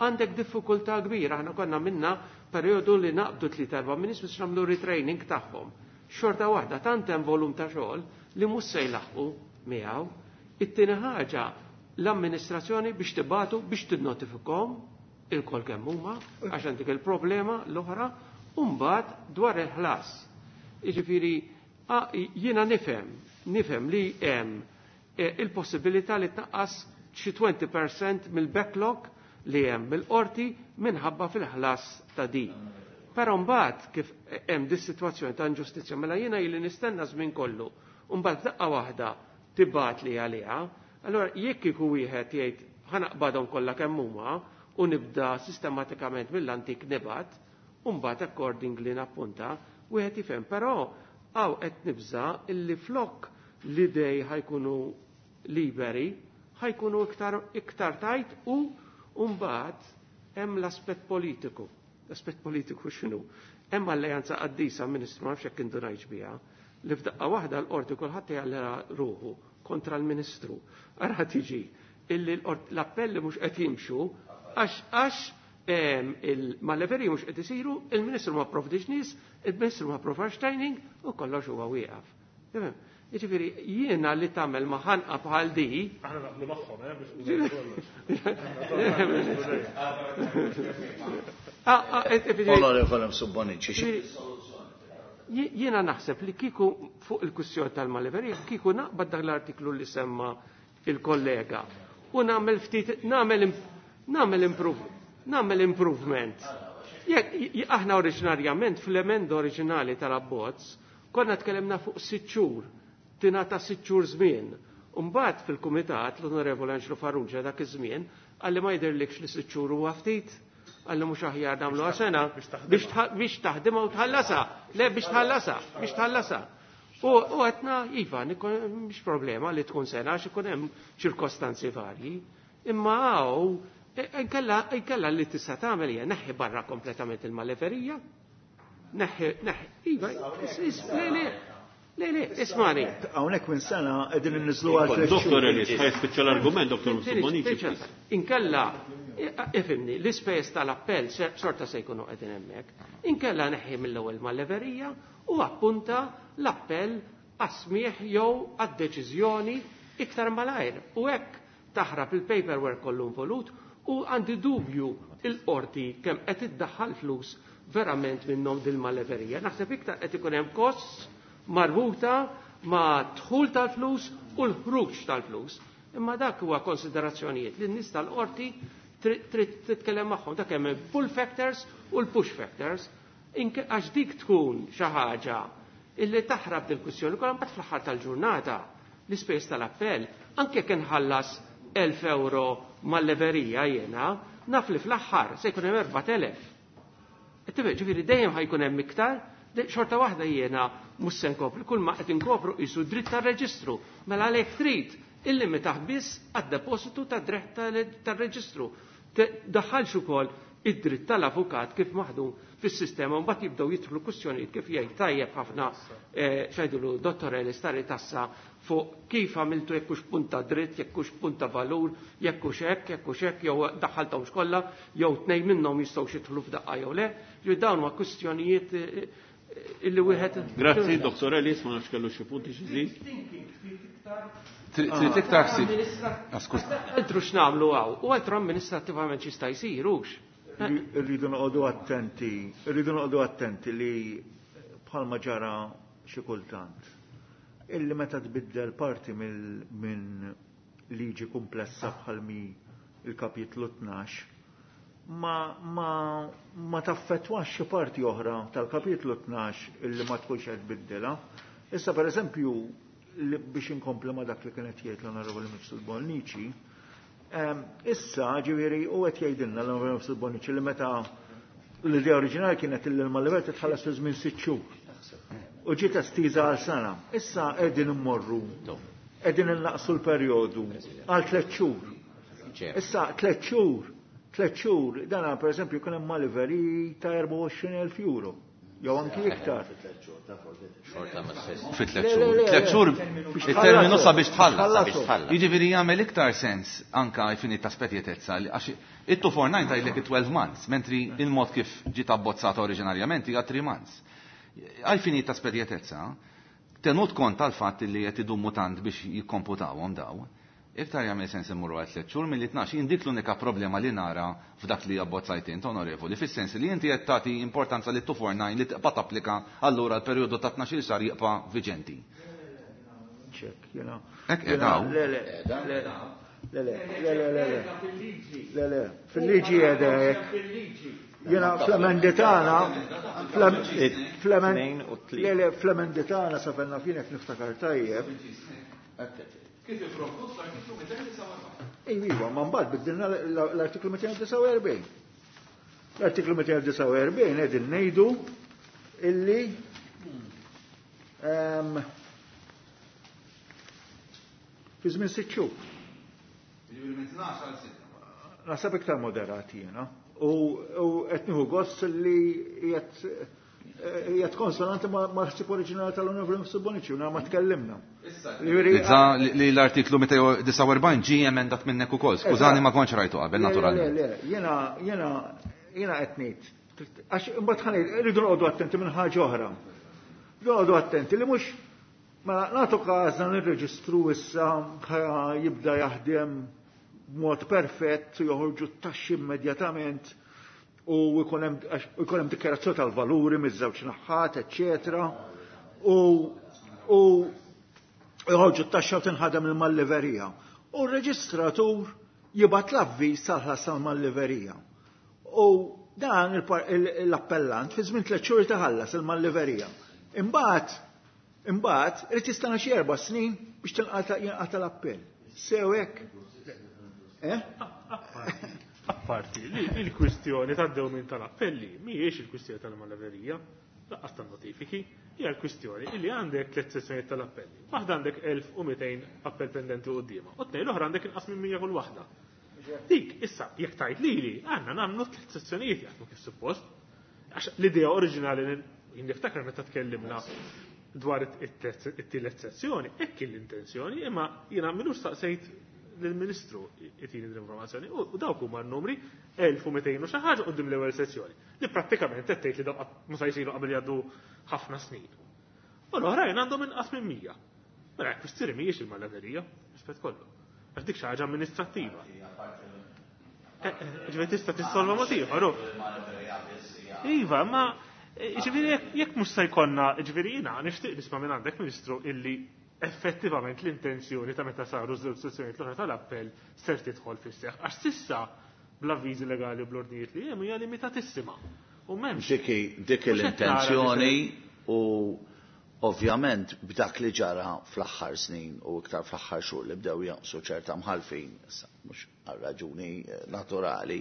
għandek diffikultà kbira. Aħna konna minna perjodu li naqbdu tliet erba' minn nies biex nagħmlu retraining tagħhom. Xorta waħda tant hemm volum ta' xogħol li mhux se jlaħqu miegħu. It-tieni ħaġa l-amministrazzjoni biex tibatu biex tinnotifikhom il-kol kemm huma għax għandek il-problema l-oħra u mbagħad dwar il-ħlas. Jiġifieri jiena nifhem, nifhem li hemm il-possibilità li tnaqqas xi twenty percent mill-backlog li hemm mill-qorti minħabba fil-ħlas ta' di. Però mbagħad kif hemm dis-sitwazzjoni ta' inġustizzja mela jiena ili nistenna żmien kollu u mbagħad daqqa waħda tibgħat li għaliha, allora jekk iku wieħed jgħid ħanaqbadhom kollha kemm huma u nibda sistematikament mill-antik nibgħat u mbagħad accordingly nappunta, wieħed jifhem. Però hawn qed nibża illi flok l-idej ħajkunu liberi, ħajkunu iktar, iktar tajt u mbagħad hemm l-aspett politiku. L-aspett politiku x'inhu? Hemm alleanza qaddisa, Ministru, ma nafx jekk indunajx biha, li f'daqqa waħda l-qorti kulħadd jgħallera ruħu kontra l-Ministru. Ara tiġi illi l-appelli mhux qed jimxu għax għax il-maleveri mhux qed isiru, il-Ministru ma pprovdix nies, il-Ministru ma pprovdax training u kollox huwa wieqaf. Jiġifieri jiena li tagħmel ma ħanqa bħal di. Aħna naqblu magħhom, eh, biex Onorevole Subbonici. Jiena naħseb li kieku fuq il-kwistjoni tal-maleverija, kieku naqbad dak l-artiklu li semma il-kollega u nagħmel ftit nagħmel nagħmel improve nagħmel improvement. Jekk aħna oriġinarjament fl-emenda oriġinali tal-abbozz konna tkellimna fuq sitt xhur, tingħata sitt xhur żmien. Mbagħad fil-kumitat l-Onorevole Angelo Farrugia dak iż-żmien qalli ma jidhirlikx li sitt xhur huwa ftit, qalli mhux aħjar nagħmluha sena biex taħdimha u tħallasha. Le biex tħallasha, biex tħallasha. U għetna, iva, mhix problema li tkun sena għax ikun hemm ċirkostanzi varji. Imma hawn inkella li tista' tagħmel hija neħħi barra kompletament il-maleverija. Neħħi, neħħi, iva, le, le, Le, le, ismani. Hawnhekk minn sena qegħdin inniżlu għal Doktor Ellis, ħa jispiċċa l-argument, Doktor Bonici. Inkella, ifhimni, l-ispejjeż tal-appell xorta se jkunu qegħdin hemmhekk. Inkella neħħi mill-ewwel mal-leverija u appunta l-appell għas-smieħ jew għad-deċiżjoni iktar malajr. U hekk taħrab il-paperwork kollu involut u għandi dubju il-qorti kemm qed iddaħħal flus verament minnhom dil-maleverija. Naħseb iktar qed ikun hemm kosts marbuta ma' dħul tal-flus u l-ħruġ tal-flus. Imma dak huwa konsiderazzjonijiet li n-nies tal-qorti trid titkellem magħhom. Dak hemm pull factors u l-push factors. Għax dik tkun xi ħaġa illi taħrab dil-kwistjoni kollha mbagħad fl-aħħar tal-ġurnata l-ispejjeż tal-appell anke kien ħallas elf euro mal-leverija jiena, naf li fl-aħħar se jkun hemm erbat elef. Ġifieri dejjem ħajkun hemm iktar, xorta waħda jiena mhux se nkopri, kull ma qed inkopru qisu dritt tar-reġistru. Mela għalhekk trid illimitaħ biss għad-depositu tad-dritt tar-reġistru. Daħħalx ukoll id-dritt tal-avukat kif maħdum fis-sistema u mbagħad jibdew jidħlu kwistjonijiet kif jgħid tajjeb ħafna x'għidulu Dottor Ellis tari tassa fuq kif għamiltu jekk hux punta dritt, jekk hux punta valur, jekk hux hekk, jekk hux hekk, jew daħħalthomx kollha, jew tnejn minnhom jistgħu jidħlu f'daqqa jew le. Ġifieri dawn huma kwistjonijiet illi wieħed. Grazzi, Dottor Ellis, ma nafx kellu xi punti xi żid. Trid iktar ħsieb. Altru x'nagħmlu hawn, u altru amministrattivament x'jista' jsir hux. Irridu noqogħdu attenti, irridu noqogħdu attenti li bħalma ġara xi kultant. Illi meta tbiddel parti minn liġi komplessa bħal mi il-kapitlu tnax, ma, ma, ma taffettwax xi parti oħra tal-kapitlu tnax illi ma tkunx qed tbiddilha. Issa pereżempju biex inkompli ma dak li kienet jgħid l-Onorevoli Mifsud Bonnici, issa ġifieri u qed jgħidilna l-Onorevoli Mifsud Bonnici li meta l-idea oriġinali kienet illi l-Malivert titħallas fi żmien sitt xhur. U ġiet estiża għal sena. Issa qegħdin immorru, qegħdin innaqsu l-perjodu għal tliet xhur. Issa tliet xhur, tliet xhur, dan pereżempju kien hemm maliveri ta' erbgħa u għoxrin elf euro. Jew anki iktar. Fi tliet xhur. Tliet xhur il-terminu sabiex tħallas. Jiġifieri jagħmel iktar sens anka jfini ta' spetjetezza għax it-two four nine tgħidlek twelve months, mentri il-mod kif ġiet abbozzata oriġinarjament hija three months. Għalfini ta' spedjetezza, tenut kont tal-fatt li qed idumu tant biex jikkomputawhom daw, iktar jagħmel sens immorru għal tliet xhur milli tnax. Jien dik l-unika problema li nara f'dak li abbozzajt int, onorevoli, fis-sens li inti qed tagħti importanza li two four nine li tibqa' tapplika allura l-perjodu ta' tnax-il xahar jibqa' viġenti. Ċek, jiena. Hekk qed Le, le, le, le, le, le, le, le, le, le, fil-liġi qiegħda hekk. Jena fl-emendi tagħna, fl-emendi tagħna sa fenna fienek niftakar tajjeb. Kif ipprovdut l-artiklu mitejn u disgħa u erbgħin? Ejwa, ma mbagħad biddilna l-artiklu mitejn u disgħa u erbgħin. L-artiklu mitejn u disgħa u erbgħin qegħdin ngħidu illi fi żmien sitt xhur. Naħseb iktar moderati jiena. U qed nieħu gost li qiegħed konsonanti mal-ħsieb oriġinali tal-Onorevoli Mifsud Bonnici, u ma tkellimna. Li l-artiklu mitejn u disgħa u erbgħin ġie emendat minnek ukoll. Skużani ma kontx rajtu qabel, naturalment. Le, le, jiena, jiena, jiena qed ngħid. Għax imbagħad ħa ngħid, irridu noqogħdu attenti minn ħaġa oħra. Noqogħdu attenti li mhux mela nagħtu każna nirreġistru issa jibda jaħdem b'mod perfett u joħorġu t-taxxi immedjatament u jkun hemm dikjarazzjoni tal-valuri miż-żewġ naħħat, eċċetera. U, u joħorġu t-taxxa u tinħadem il-malliverija. U r-reġistratur jibgħat l-avviż tal-ħlas tal-malliverija. U dan l-appellant fi żmien tliet xhur taħallas il-malliverija. Imbagħad, imbagħad irid jistenna xi erba' snin biex tinqata' jinqata' l-appell. Sew hekk. Eh? Apparti, li il-kwistjoni tad-dewmien tal-appelli mhijiex il-kwistjoni tal-maleverija, lanqas tan-notifiki, hija l-kwistjoni illi għandek tliet sessjonijiet tal-appelli. Waħda għandek elf u mitejn appell pendenti quddiemha, u tnejn l-oħra għandek inqas minn mija kull waħda. Dik, issa, jekk tajt lili, għandna nagħmlu tliet sessjonijiet jaħdmu kif suppost. Għax l-idea oriġinali jien niftakar meta tkellimna Dwar it-tielet sezzjoni, hekk l-intenzjoni, imma jiena minux staqsejt lill-Ministru itini l-informazzjoni u dawk huma n-numri elf u mitejn u xi ħaġa quddiem l-ewwel sezzjoni li prattikament qed tgħid li dawk mhux se jsiru qabel jgħaddu ħafna snin. U l-oħrajn għandhom inqas minn mija. Mela hekk kwistjoni mhijiex il-malaverija, rispett kollu. Għax dik xi ħaġa amministrattiva. Ġifieri tista' tissolva mod ieħor. Iva, ma ġifieri jekk mhux se jkollna, ġifieri jiena nixtieq nisma' minn għandek Ministru illi effettivament l-intenzjoni ta' meta saru żewġ sezzjonijiet l-oħra tal-appell ser tidħol fis-seħħ. Għax s'issa bl-avviżi legali u bl-ordnijiet li hemm hija limitatissima. U m'hemmx. Dik dik l-intenzjoni u ovvjament b'dak li ġara fl-aħħar snin u iktar fl-aħħar xhur li bdew jonqsu ċerta mħalfin, issa mhux għal raġuni naturali,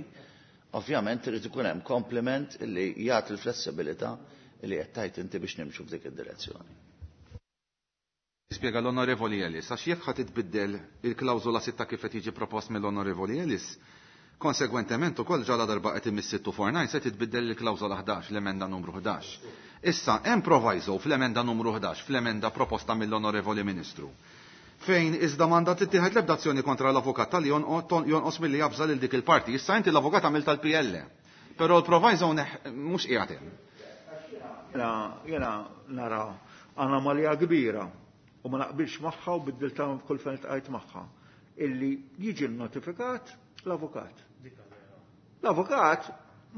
ovvjament irid ikun hemm kompliment li jagħti l-flessibilità li qed tgħid inti biex nimxu f'dik id-direzzjoni. Spjega l-Onorevoli Ellis, għax jekk ħa titbiddel il-klawżola sitta kif qed jiġi propost mill-Onorevoli Ellis, konsegwentement ukoll ġala darba qed imiss sitt four nine se titbiddel il-klawżola ħdax, l-emenda numru ħdax. Issa hemm proviso fl-emenda numru ħdax, fl-emenda proposta mill-Onorevoli Ministru, fejn iżda m'għandha tittieħed l-ebda azzjoni kontra l-avukat tal jonqos milli jabża lil dik il-parti. Issa inti l-avukat għamil tal-P L, però l-proviso mhux qiegħed hemm. Jena, jena nara anomalija kbira u ma naqbilx magħha u biddilta kull fejn iltqajt magħha, illi jiġi notifikat l-avukat. L-avukat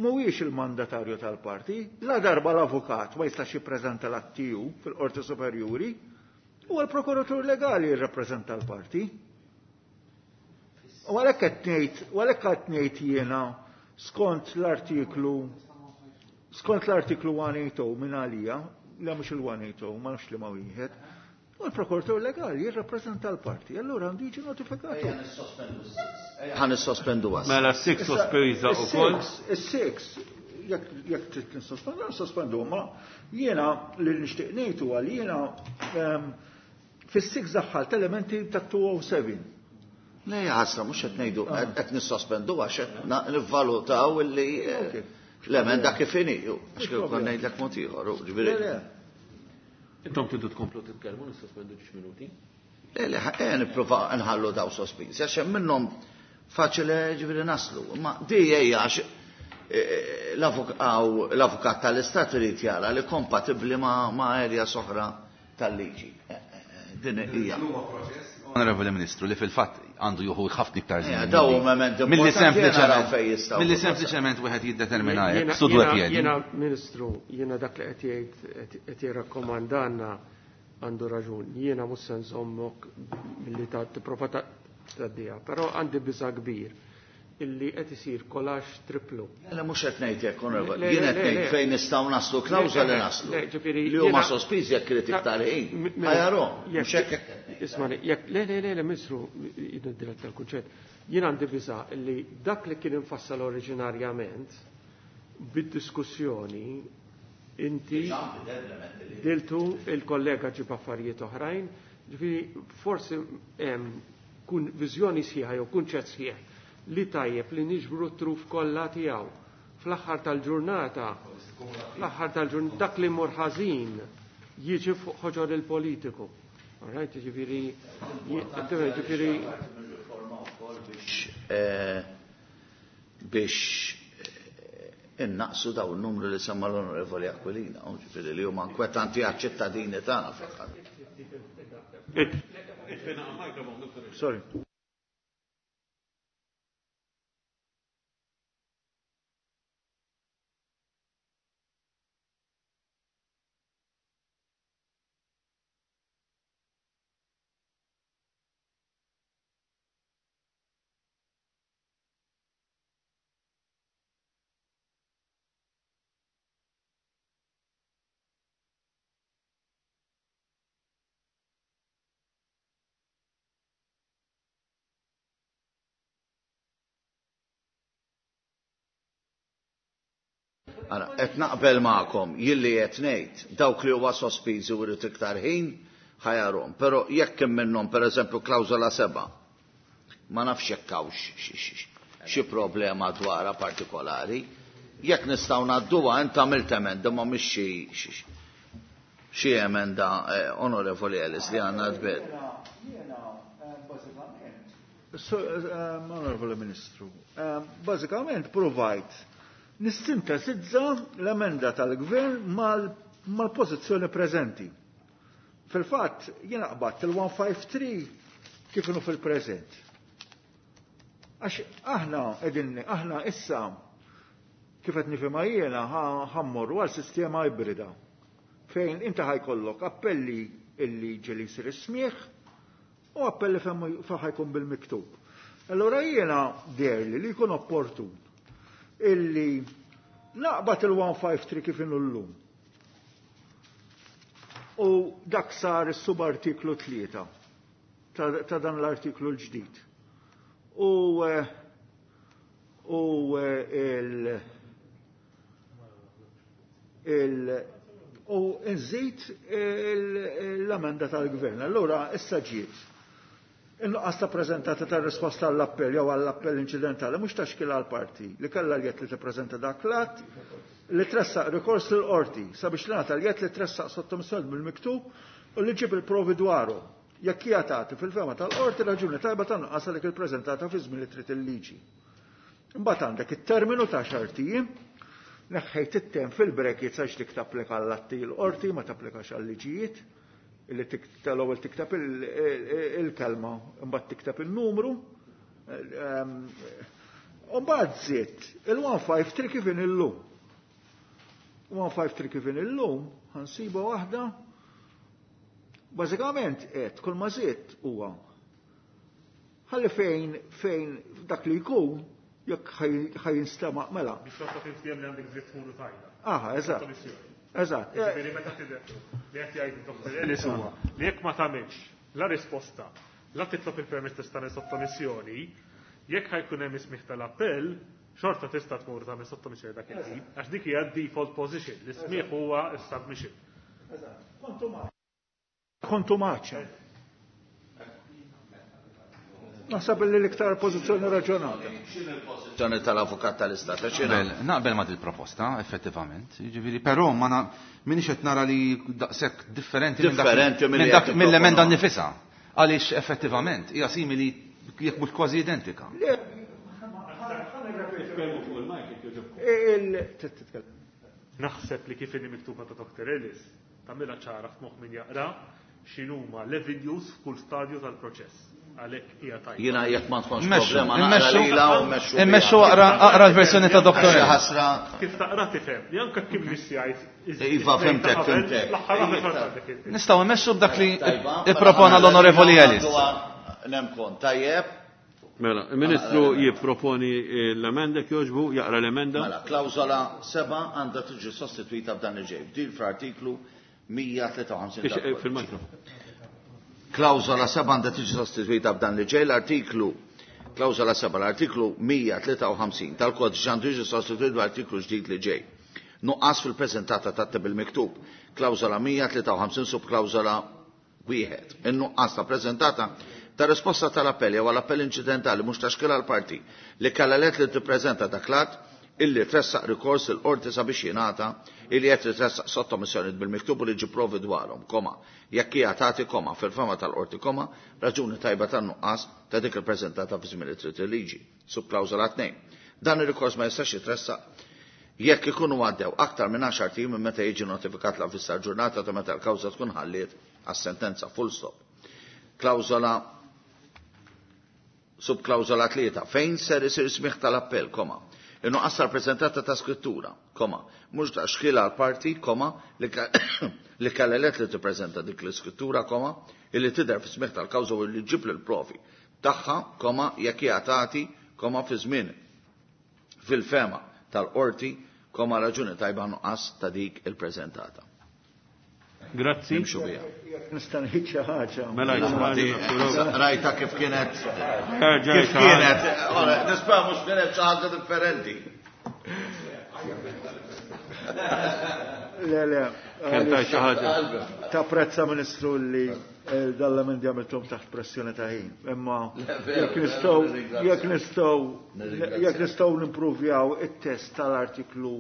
mhuwiex il-mandatarju tal-parti, la darba l-avukat ma jistax jippreżenta l-attiju fil-Qorti Superjuri, u l-prokuratur legali jirrappreżenta l-parti. U għalhekk qed ngħid, u għalhekk qed ngħid jiena skont l-artiklu, skont l-artiklu one eight oh minn għalija, la mhux il-one eight oh, ma nafx li ma wieħed, u l-prokuratur legali jirrappreżenta l-parti, allura għandu jiġi notifikatu. Ħa nissospendu għas. Mela s-six sospiża wkoll. Is-six, jekk trid nissospendu, nissospendu, ma jiena li nixtieq ngħid huwa li jiena, ehm, fis-six daħħalt elementi ta' two oh seven. Le, ħasra, mhux qed ngħidu, qed nissospendu għax qed nivvalutaw illi, eh, Ok. l-emenda kif inhi, ju, għax kif konna ngħidlek mod ieħor, u ġifieri. Le, le. Intom tridu tkomplu titkellmu, nissospendu ġiex minuti. Le, le, ħa, nipprova nħallu daw sospiżi, għax hemm minnhom faċili ġifieri naslu. Ma di hija għax, eh, l-avukat tal-Istat irid jara li kompatibbli ma', ma' erja soħra tal-liġi. Eh, eh, din hija. Onorevoli Ministru, li fil-fatt għandu juhu ħafna iktar Eh, żmien. Daw huma elementi Milli importanti, sempliċement jena naraw fejn jistgħu milli jkunu. sempliċement wieħed jiddetermina hekk, Jiena- studu jiena- qed jgħid. Jiena, Ministru, jiena dak li qed jgħid, qed jirrakkomandanna għandu raġun. Jiena mhux se nżommok milli ta' tipprova ta' tgħaddiha, però għandi biża' kbir illi qed isir kolax triplu. Le, mhux qed ngħid hekk, onorevoli. Le, le, Jien qed le, ngħid le. fejn nistgħu naslu klawżola li naslu. Le, ġifieri Li huma jiena- sospiżi jekk irid iktar ħin. M- m- Ħajarhom, jekk- mhux hekk hekk. Ismani, jekk le, le, le, le, Ministru, jien dirett tal-kunċett. Jien għandi biża' li dak li kien infassal oriġinarjament bid-diskussjoni inti diltu il-kollega ġib affarijiet oħrajn, ġifieri forsi hemm kun viżjoni sħiħa jew kunċett sħiħ li tajjeb li niġbru t-truf kollha tiegħu. Fl-aħħar tal-ġurnata, fl-aħħar tal-ġurnata dak li mur ħażin jiġi fuq ħoġor il-politiku. All right, ġifieri, ġifieri biex, eh, biex, eh, innaqsu daw il-numru li semma l-Onorevoli Aquilina, u ġifieri li huma inkwetanti għaċ-ċittadini tagħna fl-aħħar. Sorry. Ara, qed naqbel magħkom, jilli qed ngħid, dawk li huwa sospiżi u jrid iktar ħin, ħajarhom. Però jekk hemm minnhom pereżempju klawżola seba', ma nafx jekk hawn xi problema dwarha partikolari, jekk nistgħu ngħadduha int għamilt emenda ma mhix xi, xi, xi. Xi emenda, Onorevoli Ellis, li għandna tbed. Onorevoli Ministru, bażikament provajt nissintesizza l-emenda tal-Gvern mal-pożizzjoni preżenti. Fil-fatt, jiena qbadt il-one five three kif inhu fil-preżent. Għax aħna qegħdin, aħna issa kif qed nifhimha jiena ħammorru għal sistema ibrida fejn inti ħajkollok appelli illi ġeli jsir is-smieħ u appelli fejn ħajkun bil-miktub. Allora jiena derli li jkun opportun illi naqbad il-one five three kif inhu llum. U dak sar is-subartiklu tlieta ta' dan l-artiklu l-ġdid. U u il il u nżid l-amenda tal-gvern. Allura issa ġiet in-nuqqas ta' preżentata tar-risposta għall-appell jew għall-appell inċidentali mhux taxkil għall-parti li kellha l-jett li tippreżenta dak l-att li tressaq rikors lill-qorti sabiex tingħata l-jett li tressaq sottomissjoni bil-miktub u li ġib il-provi dwaru. Jekk hija tagħti fil-fema tal-qorti raġuni tajba ta' nuqqas għalik il-preżentata fi żmien li trid il-liġi. Imbagħad għandek it-terminu ta' xahar tiem, neħħejt it-tem fil-brackets għax dik tapplika għall-atti l-qorti ma tapplikax għal-liġijiet, illi tal-ewwel tikteb il-kelma imbagħad tikteb il-numru. U mbagħad żied il-one five three kif in illum. one five three kif in illum ħansiba waħda. Bażikament qed kull ma żied huwa ħalli fejn fejn dak li jkun jekk ħajinstema' mela. Biex toqgħod tinftiehem li għandek dritt tmur u tajda. Aha, eżatt. Eżatt. Ġifieri meta tidher li qed jgħid Doktor Ellis huwa li jekk ma tagħmilx la risposta, la titlob il-permess ta' tagħmel sottomissjoni, jekk ħajkun hemm ismih tal-appell, xorta tista' tmur tagħmel sottomissjoni dak il-ħin, għax dik hija default position, li smih huwa s-submission. Eżatt. Kontu maċċa. Naħseb li l-iktar pożizzjoni raġonata. X'inhi l-pożizzjoni tal-avukat tal-Istat? Naqbel, naqbel ma' dil-proposta, effettivament. Jiġifieri, però ma minix qed nara li daqshekk differenti Differenti minn dak mill-emenda nnifisha. Għaliex effettivament hija simili jekk mhux kważi identika. Naħseb li kif inhi miktuba ta' Doktor Ellis tagħmilha ċara f'moħħ min jaqra x'inhuma l-avenues f'kull stadju tal-proċess. Għalhekk hija tajba. Jiena jekk ma tkunx Immexxu, problema naqra immexxu, lilha u mmexxu biha. Immexxu aqra, aqra l-versjoni ta' Doktor Għax Ellis. ħasra. Kif taqra tifhem, li anke kif miss jgħid Iva, fimtek, fimtek. L-aħħar waħda xorta għandek il- Nistgħu immexxu b'dak li Tajba, ippropona mela, l-Onorevoli mela, Ellis. Nemkon, tajjeb. Mela, il-Ministru jipproponi l-emenda jogħġbu, jaqra l-emenda. Mela, klawżola seba' għandha tiġi sostituita b'dan il-ġej. Bdil fl-artiklu mija tlieta u ħamsin Ix, tal-Kodiċi. fil-mikro. Klawżola seba' għandha tiġi sostituita b'dan li ġej l-artiklu klawżola seba' l-artiklu mija tlieta u ħamsin tal-Kodiċi għandu jiġi sostituit b'artiklu ġdid li ġej. Nuqqas fil-preżentata ta' bil-miktub. Klawżola mija tlieta u ħamsin subklawżola wieħed. In-nuqqas ta' preżentata ta' risposta tal-appell jew għall-appell inċidentali mhux taxkil għall-parti li kellha let li tippreżenta dak l-att illi tressaq rikors il-qorti sabiex jingħata illi qed titressaq sottomissjoni bil-miktub u li ġi provi dwarhom, koma, jekk hija tagħti koma fil-fema tal-qorti koma, raġuni tajba tan-nuqqas ta' dik il-preżentata fi żmien li trid il-liġi, subklawżola tnejn. Dan ir-rikors ma jistax jitressaq jekk ikunu għaddew aktar minn għaxar ijiem minn meta jiġi notifikat l-avviż tal-ġurnata ta' meta l-kawża tkun ħalliet għas-sentenza full stop. Klawżola subklawżola tlieta fejn ser isir smigħ tal-appell, koma. In-nuqqas tal-preżentata ta' skrittura, koma, mhux ta' xkiel għal parti, koma, li ka-, li kellha let li tippreżenta dik l-iskrittura, koma, illi tidher fi smigħ tal-kawża u li ġġib lill-provi tagħha, koma, jekk hija tagħti, koma, fi żmien fil-fema tal-qorti, koma, raġuni tajba nuqqas ta' dik il-preżentata. Grazzi. Nimxu biha. Nista' ngħid xi ħaġa. Mela, jisma' Rajta kif kienet. Erġa' Kif xi ħaġa. kienet? Ora, nispera mhux kienet xi ħaġa differenti. Le, le. Kien tajt xi ħaġa. Tapprezza Ministru li dal-emendi għamilthom taħt pressjoni ta' ħin. Imma Le, veru, jekk nistgħu, nirringrazzja. jekk nistgħu, Nirringrazzja. jekk nistgħu nimpruvjaw it-test tal-artiklu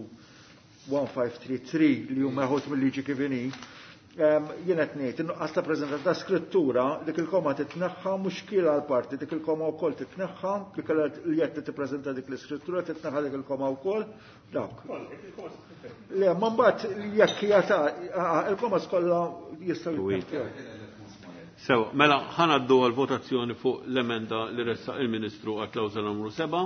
one five three three li huma meħud mill-liġi kif inhi, Jien qed ngħid in-nuqqas ta' preżentata ta' skrittura dik il-koma titneħħa mhux kiel għal parti, dik il-koma wkoll titneħħa, dik li qed tippreżenta dik l-iskrittura titneħħa dik il-koma wkoll. Dawk. Le, ma mbagħad jekk hija ta' il-koma kollha jistgħu jitneħħew. Sew, mela ħanaddu għal votazzjoni fuq l-emenda li ressaq il-Ministru għal klawżola numru seba'.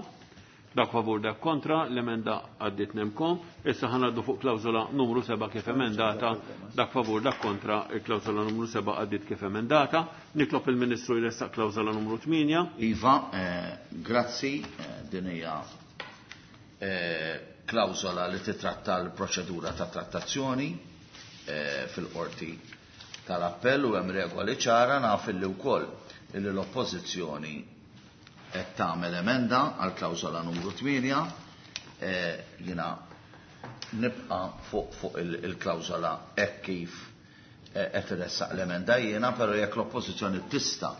Dak favur, dak kontra, l-emenda għaddit nemkom. Issa ħanaddu fuq klawżola numru seba' kif emendata. Dak favur, dak kontra, il-klawżola numru seba' għaddit kif emendata. Nitlob il-Ministru jressaq klawżola numru tmienja. Iva, eh, grazzi, eh, din hija eh, klawżola li titratta l-proċedura ta' trattazzjoni eh, fil-qorti tal-appell u hemm regoli ċara. Naf illi wkoll illi l-oppożizzjoni qed tagħmel emenda għal klawżola numru tmienja, eh, jiena nibqa' fuq fuq il-klawżola hekk kif eh, qed iressaq l-emenda jiena, però jekk l-oppożizzjoni tista'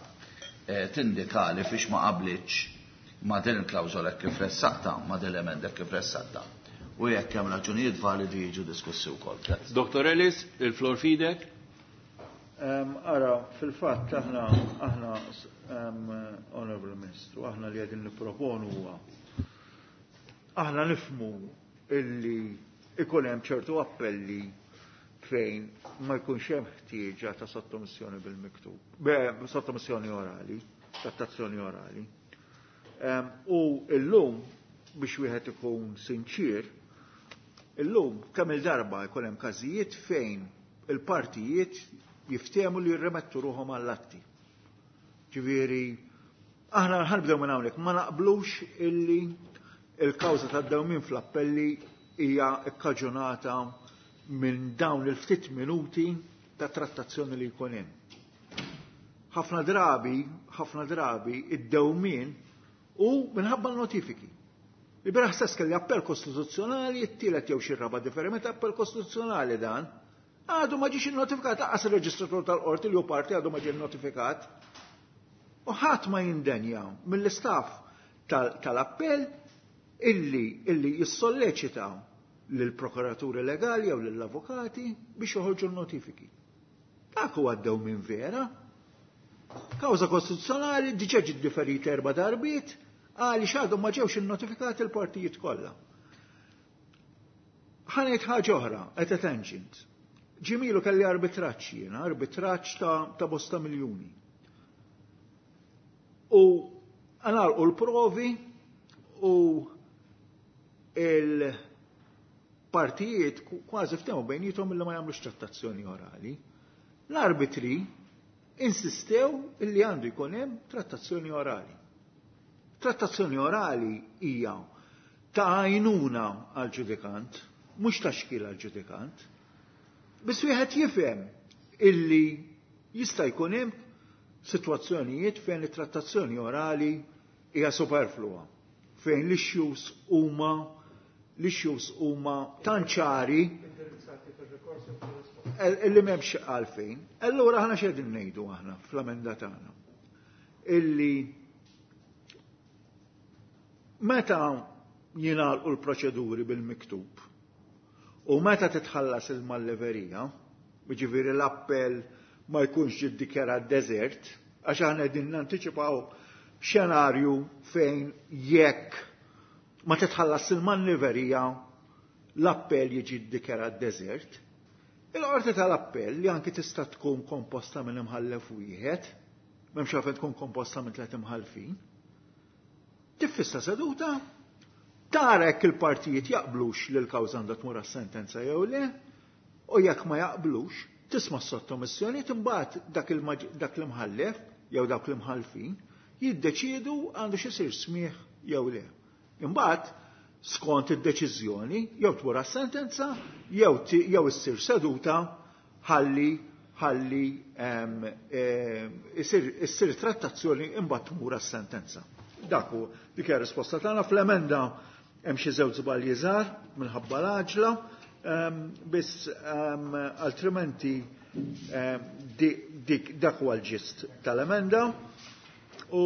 eh, tindika li fiex ma qablitx ma' din il-klawżola hekk kif ressaqta, ma' din l-emenda hekk kif ressaqta. U jekk hemm raġunijiet validi jiġu diskussi wkoll. Doktor Ellis, il-flor fidek. Ara, fil-fatt aħna aħna Honorable Ministru, aħna li qegħdin nipproponu huwa aħna nifhmu illi ikun hemm ċertu appelli fejn ma jkunx hemm ħtieġa ta' sottomissjoni bil-miktub, sottomissjoni orali, trattazzjoni orali. U illum biex wieħed ikun sinċir, illum kemm il-darba jkun hemm każijiet fejn il-partijiet jiftehmu li jirremettu ruħhom għall-atti. Ġifieri, aħna ħanibdew minn hawnhekk, ma naqblux illi il-kawża tad-dewmien fl-appelli hija kkaġunata minn dawn il-ftit minuti ta' trattazzjoni li jkun hemm. Ħafna drabi, ħafna drabi id-dewmien u minħabba l-notifiki. Il-bieraħ stess kelli appell kostituzzjonali, it-tielet jew xi raba' differenti appell kostituzzjonali dan. Għadu ma ġiex innotifikat, lanqas il-reġistratur tal-qorti li hu parti għadu ma ġie notifikat. U ħadd ma jindenja mill-istaff tal-appell illi illi jissolleċita lill-prokuraturi legali jew lill-avukati biex joħorġu l-notifiki. Dak huwa dewmien vera. Kawża kostituzzjonali diġà ġiet differita erba' darbiet għaliex għadhom ma ġewx innotifikati l-partijiet kollha. Ħa ngħid ħaġa oħra, at a tangent. Ġimilu kelli arbitraġġ jiena, arbitraġġ ta', ta' bosta miljuni. U għalqu l-provi u il-partijiet kważi ftehmu bejniethom illi ma jagħmlux trattazzjoni orali. L-arbitri insistew illi għandu jkun hemm trattazzjoni orali. Trattazzjoni orali hija ta' għajnuna għal-ġudikant, mhux ta' xkil għal-ġudikant. Biss wieħed jifhem illi jista' jkun hemm sitwazzjonijiet fejn it-trattazzjoni orali hija superflua, fejn l-issues huma l-issues huma tant ċari illi m'hemmx għalfejn. Allura aħna x'qegħdin ngħidu aħna fl-emenda tagħna? Illi meta jingħalqu l-proċeduri bil-miktub u meta titħallas il-malleverija, jiġifieri l-appell ma jkunx ġiddikjarat desert, għax aħna qegħdin nantiċipaw xenarju fejn jekk ma titħallas il-malleverija l-appell jiġi ddikjarat desert. Il-qorti tal-appell li anki tista' tkun komposta minn imħallef wieħed, m'hemmx għalfejn tkun komposta minn tliet imħallfin, tiffissa seduta, tara jekk il-partijiet jaqblux li l-kawża għandha tmur għas-sentenza jew le, u jekk ma jaqblux, tisma' s-sottomissjoni, imbagħad dak dak l-imħallef jew dawk l-imħallfin jiddeċiedu għandu x'isir smigħ jew le. Imbagħad skont id-deċiżjoni jew tmur għas-sentenza jew jew issir seduta ħalli ħalli issir trattazzjoni imbagħad tmur għas-sentenza. Dak hu dik hija risposta tagħna. Fl-emenda hemm xi żewġ żbalji żgħar minħabba l-għaġla, biss altrimenti dik dak huwa l-ġist tal-emenda u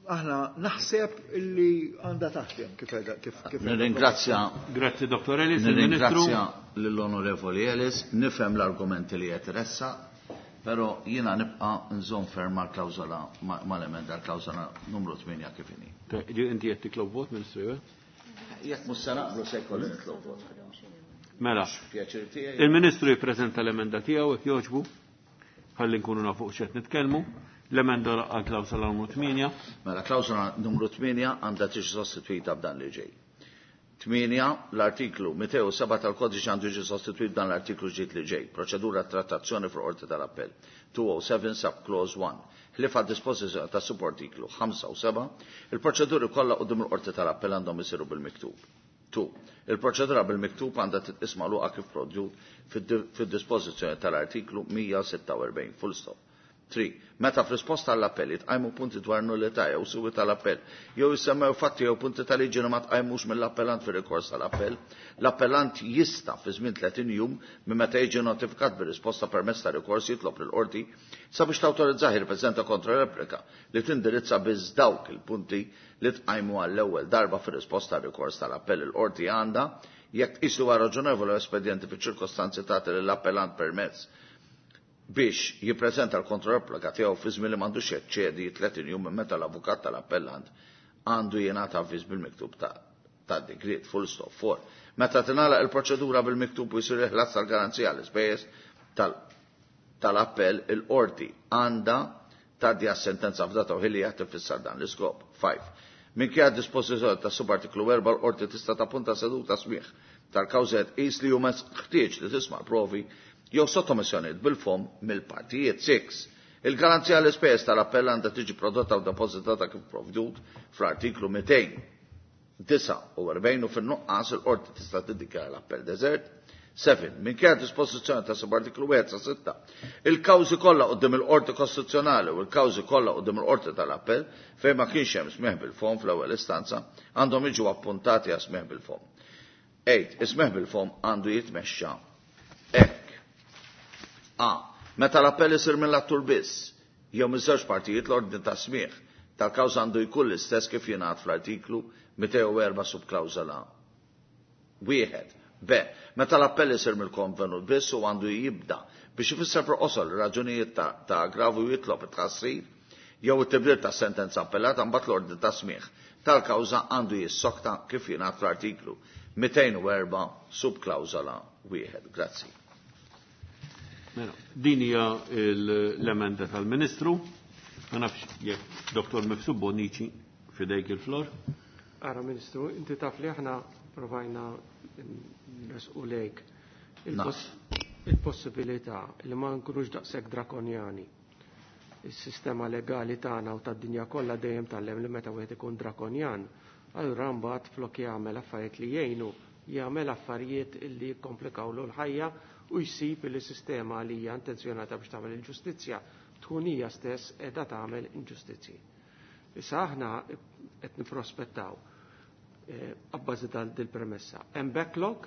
Aħna naħseb illi għandha taħdem kif kif kif. Nirringrazzja. Grazzi Dottor Ellis. Nirringrazzja lill-Onorevoli Ellis, nifhem l-argumenti li qed iressaq, però jiena nibqa' nżomm ferm mal-klawżola mal-emenda l-klawżola numru tmienja kif inhi. Inti qed titlob vot, Ministru? Jekk mhux se naqblu se jkolli nitlob vot. Mela. Pjaċir tiegħi. Il-Ministru jippreżenta l-emenda tiegħu jekk jogħġbu, ħalli nkunu nafu x'qed nitkellmu. L-emenda għal klawsola numru tmienja. Mela, klawsola numru tmienja għandha tiġi sostituita b'dan li ġej. Tmienja, l-artiklu mitejn u seba' tal-kodiċi għandu jiġi sostituit b'dan l-artiklu ġdid li ġej. Proċedura trattazzjoni fil-qorti tal-appell. two oh seven sub clause one. Ħlief għad dispożizzjoni ta' subartiklu ħamsa u seba', il-proċeduri kollha quddiem il-qorti tal-appell għandhom isiru bil-miktub. Two. Il-proċedura bil-miktub għandha titqis magħluqa kif prodjut fid-dispożizzjoni tal-artiklu mija u sitta u erbgħin. Full stop. Three. Meta f'risposta għall-appell jitqajmu punti dwar nullità jew suwi tal-appell, jew jissemmew fatti jew punti tal-liġi li ma tqajmux mill-appellant fir-rikors tal-appell, l-appellant jista' fi żmien tletin jum minn meta jiġi notifikat bir-risposta permezz ta' rikors jitlob lill-qorti sabiex tawtorizzah jirrappreżenta kontra-replika li tindirizza biss dawk il-punti li tqajmu għall-ewwel darba fir-risposta għar-rikors tal-appell. Il-qorti għandha, jekk tqis li huwa raġonevoli u espedjenti fiċ-ċirkostanzi tagħti lill-appellant permezz biex jippreżenta l-kontrareplika tiegħu fi żmien li m'għandux jeċċedi tletin jum minn meta l-avukat tal-appellant għandu jingħata avviż bil-miktub ta' ta' digriet. Full stop. Four. Meta tingħalaq il-proċedura bil-miktub u jsir il-ħlas tal-garanzija l-ispejjeż tal-appell, il-qorti għandha tgħaddi għas-sentenza f'data u ħin li qed tifissar dan l-iskop. Five. Minkejja dispożizzjoni ta' subartiklu erba' l-qorti tista' tappunta seduta smigħ tal-kawża tqis li huma ħtieġ li tisma' provi jew sottomissjonijiet bil-fom mill-partijiet. Six. Il-garanzija l-ispejjeż tal-appell għandha tiġi prodotta u depożitata kif provdut fl-artiklu mitejn disa' u erbgħin u fin-nuqqas il-qorti tista' tiddikjara l-appell deżert. Seven. Minkejja dispożizzjoni ta' subartiklu wieħed sa sitta, il-kawżi kollha quddiem il-qorti kostituzzjonali u l-kawżi kollha quddiem il-qorti tal-appell fejn ma kienx hemm smigħ bil-fom fl-ewwel istanza għandhom jiġu appuntati għal smigħ bil-fom. Eight. Is-smigħ bil-fom għandu jitmexxa hekk. A. Meta l-appell isir mill-attur biss, jew miż-żewġ partijiet l-ordni ta' smigħ tal-kawża għandu jkun l-istess kif jingħad fl-artiklu mitejn u erba' subklawżola wieħed. B. Meta l-appell isir mill-konvenut biss u għandu jibda biex ifisser proqosol raġunijiet ta', ta' aggravu jitlob it-tħassir jew it-tibdil ta' sentenza appellata, mbagħad l-ordni ta' smigħ tal-kawża għandu jissokta kif jingħad fl-artiklu mitejn u erba' subklawżola wieħed. Grazzi. Mela, din hija l-emenda tal-Ministru. Ma nafx jekk Dottor Mifsud Bonnici fidejk il-flor. Ara Ministru, inti taf li aħna provajna nresqu lejk il-possibilità li ma nkunux daqshekk drakonjani. Is-sistema legali tagħna u tad-dinja kollha dejjem tgħallem li meta wieħed ikun drakonjan, allura mbagħad flok jagħmel affarijiet li jgħinu, jagħmel affarijiet li jikkomplikawlu l-ħajja u jsib li sistema li hija intenzjonata biex tagħmel il-ġustizzja tkun hija stess qiegħda tagħmel inġustizzji. Issa aħna qed nipprospettaw, eh, abbażi tal-premessa. Hemm backlog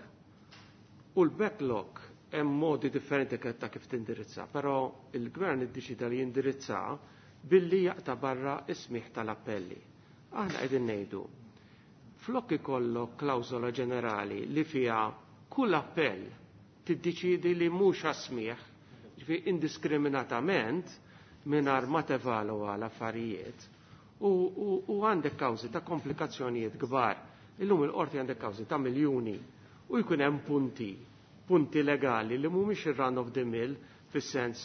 u l-backlog hemm modi differenti ta' kif tindirizza, però il-gvern iddeċida li jindirizza billi jaqta' barra is-smigħ tal-appelli. Aħna qegħdin ngħidu flok ikollok klawżola ġenerali li fiha kull appell tiddeċiedi li mhux għas-smigħ, ġifieri indiskriminatament mingħajr ma tevalwa l-affarijiet u, u, u għandek kawżi ta' komplikazzjonijiet kbar. Illum il-qorti għandek kawżi ta' miljuni u jkun hemm punti, punti legali li mhumiex ir-run of the mill fis-sens,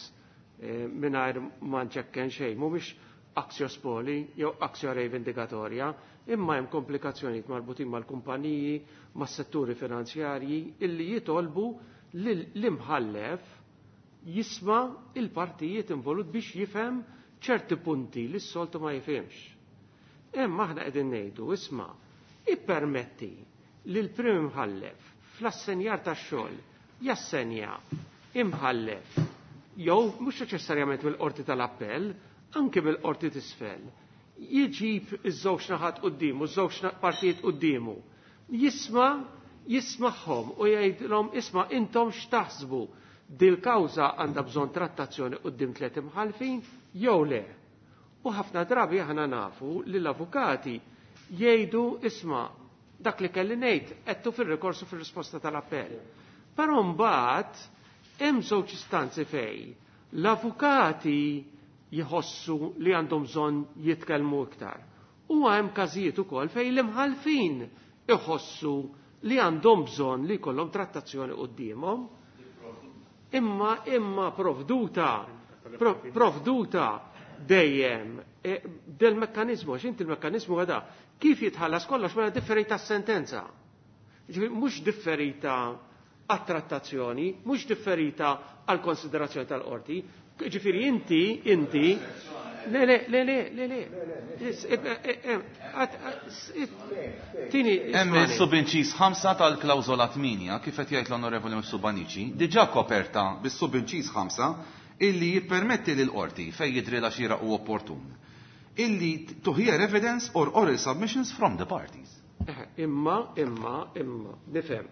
eh, mingħajr ma nċekken xejn, mhumiex actio spoli jew actio revendicatoria, imma hemm komplikazzjonijiet marbutin mal-kumpaniji, mas-setturi finanzjarji illi jitolbu l-imħallef jisma' il-partijiet involut biex jifhem ċerti punti li s-soltu ma jifhimx. Imma aħna qegħdin ngħidu, isma', ippermetti li l-prim imħallef fl-assenjar tax-xogħol jassenja imħallef jew mhux neċessarjament mill-qorti tal-appell, anke mill-qorti t'isfel, jiġib iż-żewġ naħat quddiemu, iż-żewġ partijiet quddiemu, jisma' jismagħhom u jgħidilhom isma' intom x'taħsbu dil-kawża għandha bżonn trattazzjoni quddiem tliet imħallfin jew le. U ħafna drabi aħna nafu li l-avukati jgħidu isma' dak li kelli ngħid qedtu fir-rikorsu fir-risposta tal-appell. Però mbagħad hemm żewġ istanzi fejn l-avukati jħossu li għandhom bżonn jitkellmu iktar. U hemm każijiet ukoll fejn l-imħalfin iħossu li għandhom bżonn li jkollhom trattazzjoni quddiemhom. Imma imma provduta provduta dejjem e, del mekkanizmu, għax inti il-mekkanizmu għada, kif jitħallas kollox mela differita s-sentenza. Mhux differita għat-trattazzjoni, mhux differita għal konsiderazzjoni tal-qorti. Ġifieri inti, inti, le, le, le, le, le, le. Tini. Hemm is-subinċis ħamsa tal-klawżola tminja, kif qed jgħid l-Onorevoli Mifsud diġà koperta bis-subinċis ħamsa illi jippermetti lil qorti fejn jidhrilha xieraq u opportun illi to hear evidence or oral submissions from the parties. Imma, imma, imma, nifhem.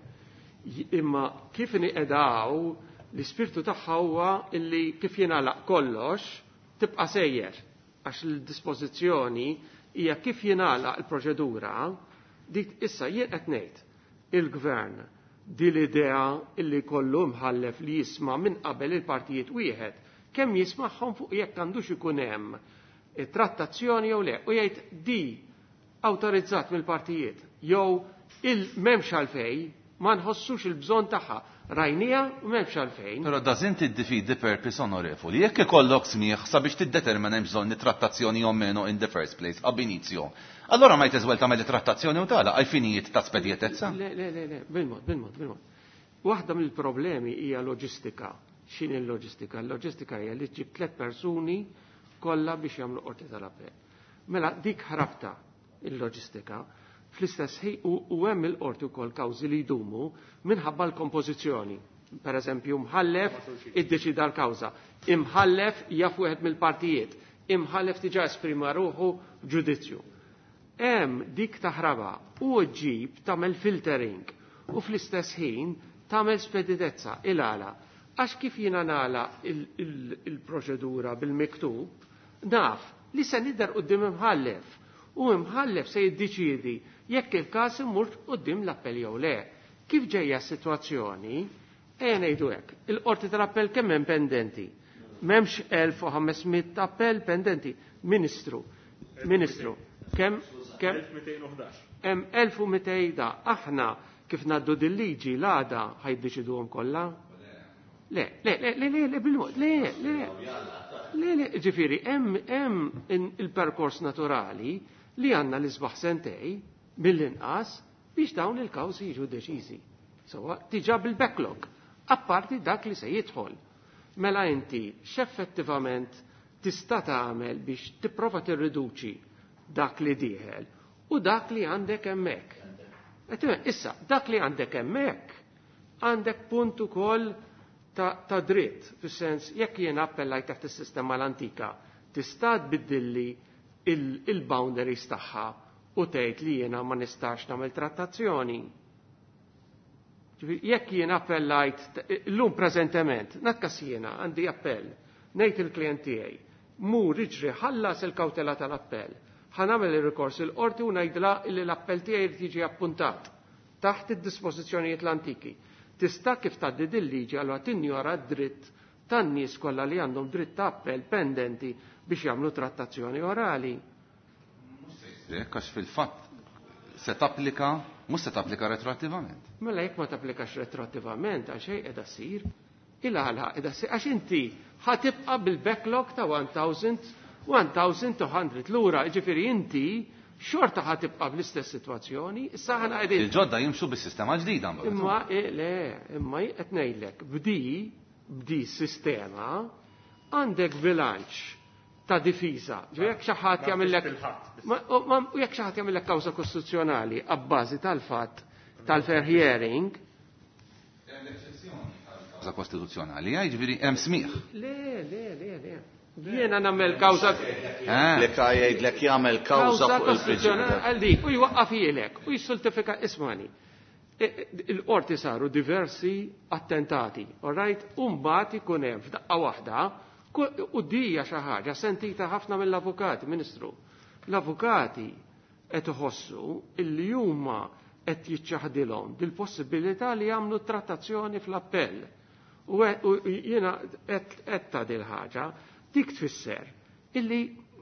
Imma kif niqedaw l-ispirtu tagħha huwa illi kif jingħalaq kollox tibqa' sejjer għax l-dispożizzjoni hija kif jingħalaq il-proċedura dik issa jien qed ngħid il-gvern di l-idea illi kollu mħallef li jisma' minn qabel il-partijiet wieħed kemm jismagħhom fuq jekk għandux ikun hemm trattazzjoni jew le u jgħid di awtorizzat mill-partijiet jew il m'hemmx għalfejn ma nħossux il-bżonn tagħha rajnija u m'hemmx għalfejn. Però doesn't it defeat the purpose, onorevoli? Jekk ikollok smieħ sabiex tiddetermina hemm bżonn trattazzjoni o meno in the first place, ab initio. Allora ma jteżwel tagħmel trattazzjoni u tagħlaq għal finijiet ta' spedjetezza? Le, le, le, le, bil-mod, bil-mod, bil-mod. Waħda mill-problemi hija loġistika. X'inhi l-loġistika? L-loġistika hija li ġib tliet persuni kollha biex jagħmlu qorti tal-appell. Mela dik ħrabta il-loġistika fl-istess ħin u hemm il-qorti wkoll kawżi li jdumu minħabba l-kompożizzjoni. Per eżempju, mħallef iddeċida l-kawża, imħallef jaf wieħed mill-partijiet, imħallef diġà esprima ruħu ġudizzju. Hemm dik taħraba u ġib tagħmel filtering u fl-istess ħin tagħmel speditezza il-għala. Għax kif jiena nagħlaq il-proċedura bil-miktub, naf li se nidher quddiem imħallef u imħallef se jiddeċiedi jekk il-każ imur quddiem l-appell jew le. Kif ġejja s-sitwazzjoni, ejja ngħidu hekk, il-qorti tal-appell kemm hemm pendenti? M'hemmx elf u ħames mitt appell pendenti. Ministru, Ministru, kemm kemm hemm elf u mitejn da aħna kif ngħaddu dil-liġi l-għada ħajdeċiduhom kollha? Le, le, le, le, le, le, bil-mod, le, le, le, le, ġifieri, hemm hemm il-perkors naturali li għandna l-isbaħ sentej mill-inqas biex dawn il-kawżi jiġu deċiżi. Sewwa, diġà bil-backlog, apparti dak li se jidħol. Mela inti x'effettivament tista' tagħmel biex tipprova tirriduċi dak li dieħel u dak li għandek hemmhekk. Issa, dak li għandek hemmhekk għandek punt ukoll ta', ta dritt, fis-sens jekk jien appellajt taħt is-sistema l-antika, tista' tbiddilli il-boundaries tagħha u tgħid li jiena ma nistax nagħmel trattazzjoni. Jekk jien appellajt llum preżentement, nakkas jiena għandi appell, ngħid il-klient tiegħi, mur iġri ħallas il-kawtela tal-appell, ħa nagħmel il-rikors il-qorti u ngħidla li l-appell tiegħi jrid jiġi appuntat taħt id-dispożizzjonijiet l-antiki. Tista' kif tgħaddi dil-liġi allura tinjora d-dritt tan-nies kollha li għandhom dritt ta' appell pendenti biex jagħmlu trattazzjoni orali. Għax fil-fatt se tapplika, mhux se tapplika retroattivament. Mela jekk ma tapplikax retroattivament għal xejn qiegħda ssir, il-għala qiegħda ssir għax inti ħa tibqa' bil-backlog ta' elf u mitejn lura, jiġifieri inti xorta ħa tibqa' bl-istess sitwazzjoni, issa ħana qegħdin. Il-ġodda jimxu bis-sistema ġdida. Imma eh, le, imma qed ngħidlek b'di b'di sistema għandek bilanċ ta' difiża. Jekk xi ħadd jagħmellek u jekk xi ħadd jagħmellek kawża kostituzzjonali abbażi tal-fatt tal-fair hearing. Kawża kostituzzjonali, jiġifieri hemm smigħ. Le, le, le, le. Jiena nagħmel kawża. Lek jgħidlek jagħmel kawża fuq il-prinċipju. Għal dik, u jwaqqaf jilek, u jissultifika ismani. Il-qorti saru diversi attentati, all right? U mbagħad ikun hemm f'daqqa waħda U dija xi ħaġa sentita ħafna mill-avukati, Ministru. L-avukati qed iħossu illi huma qed jiċċaħdilhom dil-possibilità li jagħmlu trattazzjoni fl-appell. U jiena qed ta' dil-ħaġa dik tfisser illi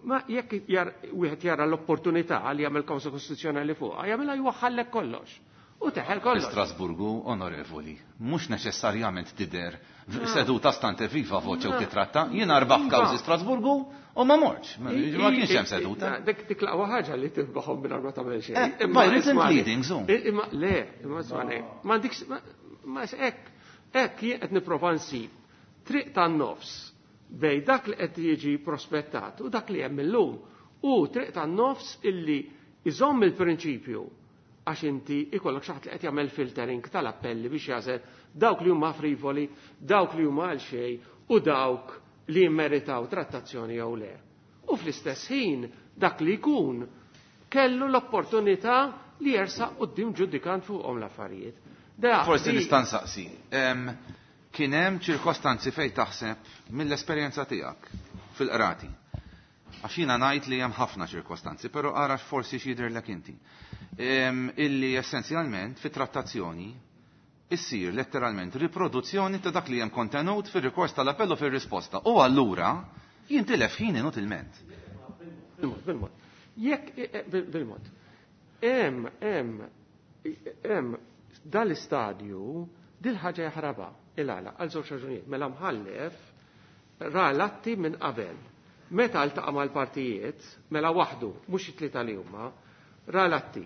ma jekk wieħed jara l-opportunità li jagħmel kawża kostituzzjonali fuqha, jagħmilha jwaħħallek kollox. U teħel kollox. Strasburgu, onorevoli, mhux neċessarjament tidher seduta stante viva voce u titratta, jiena rbaħ kawżi Strasburgu u ma mortx. Ma kienx hemm seduta. Dik dik l-aqwa ħaġa li tirbaħhom mingħajr ma tagħmel xejn. By written pleadings, Imma le, imma ismani, ma dik ma hekk hekk jien qed nipprova nsib triq tan-nofs bej dak li qed jiġi prospettat u dak li hemm illum u triq tan-nofs illi iżomm il-prinċipju għax inti ikollok xi ħadd li qed jagħmel filtering tal-appelli biex jażel dawk li huma frivoli, dawk li huma għal xejn u dawk li jimmeritaw trattazzjoni jew le. U fl-istess ħin dak li jkun kellu l-opportunità li jersaq quddiem ġudikant fuqhom l-affarijiet. Forsi nista' nsaqsi. Kien hemm ċirkostanzi fejn taħseb mill-esperjenza tiegħek fil-qrati. Għax jiena ngħid li hemm ħafna ċirkostanzi, però ara forsi x'jidhirlek inti. Illi essenzjalment fit-trattazzjoni issir letteralment riproduzzjoni ta' dak li hemm kontenut fir-rikors tal-appell u fir-risposta. U allura jintilef ħin inutilment. Bil-mod, bil-mod. Jekk bil-mod. Hemm hemm hemm dal-istadju dil-ħaġa jaħrabha il-għala għal żewġ raġunijiet. Mela mħallef ra l-atti minn qabel. Meta ltaqa' mal-partijiet, mela waħdu, mhux it-tlieta li huma, ra l-atti.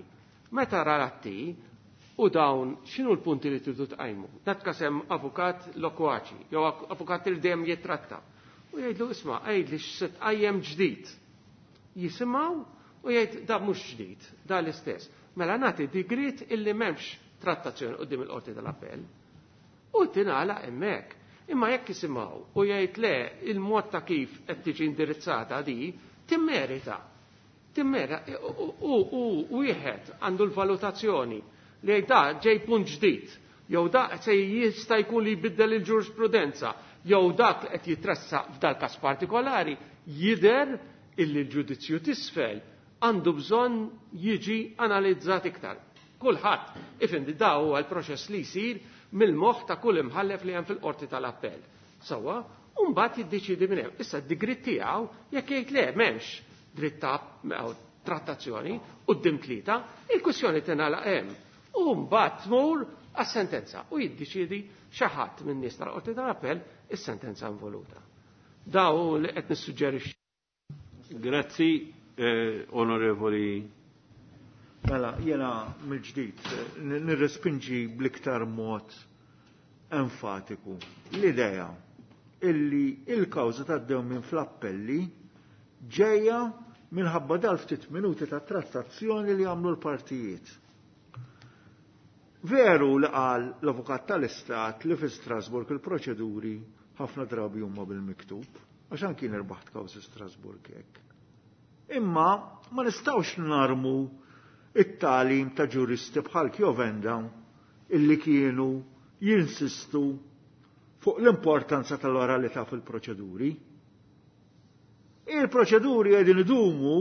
Meta ra l-atti, u dawn x'inhu l-punti li tridu tqajmu? Dat kasem avukat lokwaċi, jew avukat li dejjem jitratta. U jgħidlu isma' għidli x'se tqajjem ġdid. Jisimgħu u jgħid da mhux ġdid, da l-istess. Mela nagħti digrit illi m'hemmx trattazzjoni quddiem il-qorti tal-appell. U tingħalaq hemmhekk. Imma jekk jisimgħu u jgħid le il-mod ta' kif qed tiġi indirizzata di timmerita. Timmerita u wieħed għandu l-valutazzjoni li jgħid da ġej punt ġdid, jew da se jista' jkun li jbiddel il-ġurisprudenza, jew dak li qed jitressaq f'dal każ partikolari jidher illi l-ġudizzju t'isfel għandu bżonn jiġi analizzat iktar. Kulħadd ifindi da huwa l-proċess li jsir mill-moħħ ta' kull imħallef li hemm fil-qorti tal-appell. Sewwa, u mbagħad jiddeċiedi minn hemm. Issa d-digrit tiegħu jekk jgħid le m'hemmx dritt ta' trattazzjoni quddiem tlieta, il-kwistjoni tingħalaq hemm. U mbagħad tmur għas-sentenza u jiddeċiedi xi ħadd min-nies tal-qorti tal-appell is-sentenza involuta. Daw li qed nissuġġerixxi. Grazzi, eh, onorevoli. Mela, jena mill-ġdid nirrespinġi bl-iktar mod enfatiku l-idea illi il-kawża tad-dew minn fl-appelli ġejja minħabba dal ftit minuti ta' trattazzjoni li għamlu l-partijiet. Veru li qal l-avukat tal-Istat li fi Strasburg il-proċeduri ħafna drabi huma bil-miktub, għax anki nirbaħt kawżi Strasburg hekk. Imma ma nistgħux narmu it-talim ta' ġuristi bħal Chiovenda illi kienu jinsistu fuq l-importanza tal-oralità fil-proċeduri. Il-proċeduri qegħdin idumu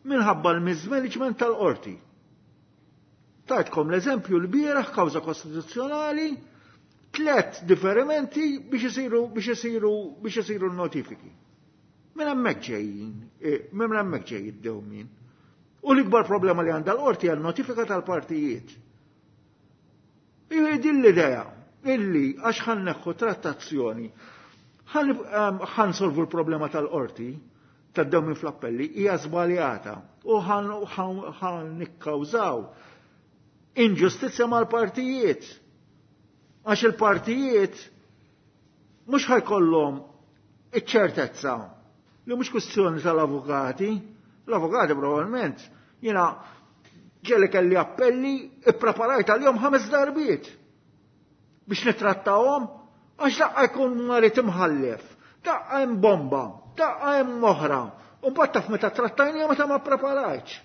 minħabba l-mismanagement tal-qorti. Tajtkom l-eżempju l-bieraħ kawża kostituzzjonali, tlet differimenti biex isiru biex isiru biex isiru n-notifiki. Minn hemmhekk ġejjin, minn hemmhekk ġej id-dewmien. U l-ikbar problema li għandha l-qorti għal notifika tal-partijiet. Din l-idea illi għax ħan neħħu trattazzjoni, ħan solvu l-problema tal-qorti, tad-dewmien fl-appelli, hija żbaljata u ħan nikkawżaw inġustizzja mal-partijiet. Għax il-partijiet mhux ħajkollhom iċ-ċertezza li mhux kwistjoni tal-avukati. L-avukati probabbilment jiena ġeli kelli appelli ippreparajt għalihom ħames darbiet biex nitrattawhom għax daqqa jkun marit imħallef, daqqa hemm bomba, daqqa hemm oħra. U mbagħad taf meta trattajni meta ma ppreparajtx.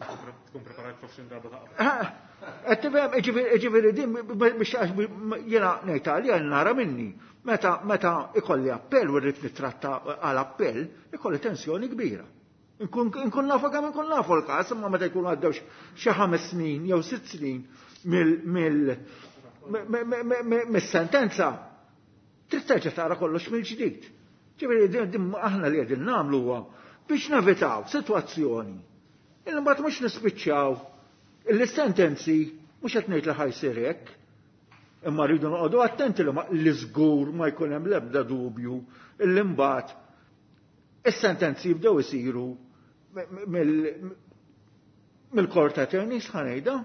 Tkun preparajt forsi darba ta' qabel. Qed tifhem, jiġifieri din biex jiena ngħid għalija nara minni. Meta meta ikolli appell u rrid nittratta għal appell, ikolli tensjoni kbira. Nkun nafu kemm inkun nafu l-każ, imma meta jkunu għaddew xi ħames snin jew sitt snin mill-sentenza, trid terġa' tara kollox mill-ġdid. Ġifieri din aħna li qegħdin nagħmlu huwa biex nevitaw sitwazzjoni illi mbagħad mhux nispiċċaw il-sentenzi mhux qed ngħid li ħajsir hekk, imma rridu noqogħdu attenti li li żgur ma jkun hemm l-ebda dubju illi mbagħad is-sentenzi jibdew isiru mill-court attorneys ħa ngħidha.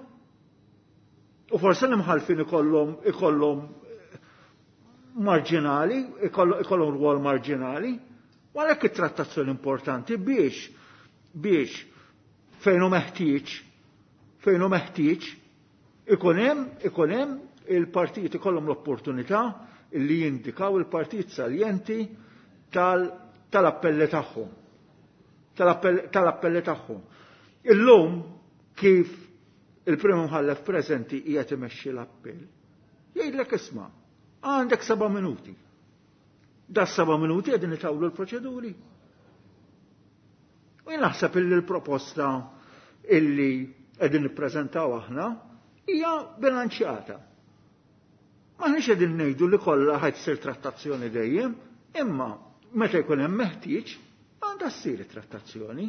U forsi l-imħallfin ikollhom ikollhom marġinali, ikollhom rwol marġinali, u għalhekk it-trattazzjoni importanti biex biex fejn hu meħtieġ fejn hu meħtieġ ikun hemm ikun hemm il-partijiet ikollhom l-opportunità li jindikaw il-partijiet saljenti tal-appelli tagħhom. Tal-appelli tagħhom. Illum kif il-prim imħallef preżenti qiegħed imexxi l-appell, jgħidlek isma' għandek seba' minuti. Da seba' minuti qegħdin itawlu l-proċeduri. U jien naħseb illi l-proposta illi qegħdin nippreżentaw aħna hija bilanċjata. M'aħniex qegħdin ngħidu li kollha ħadd issir trattazzjoni dejjem, imma meta jkun hemm meħtieġ għandha ssir it-trattazzjoni.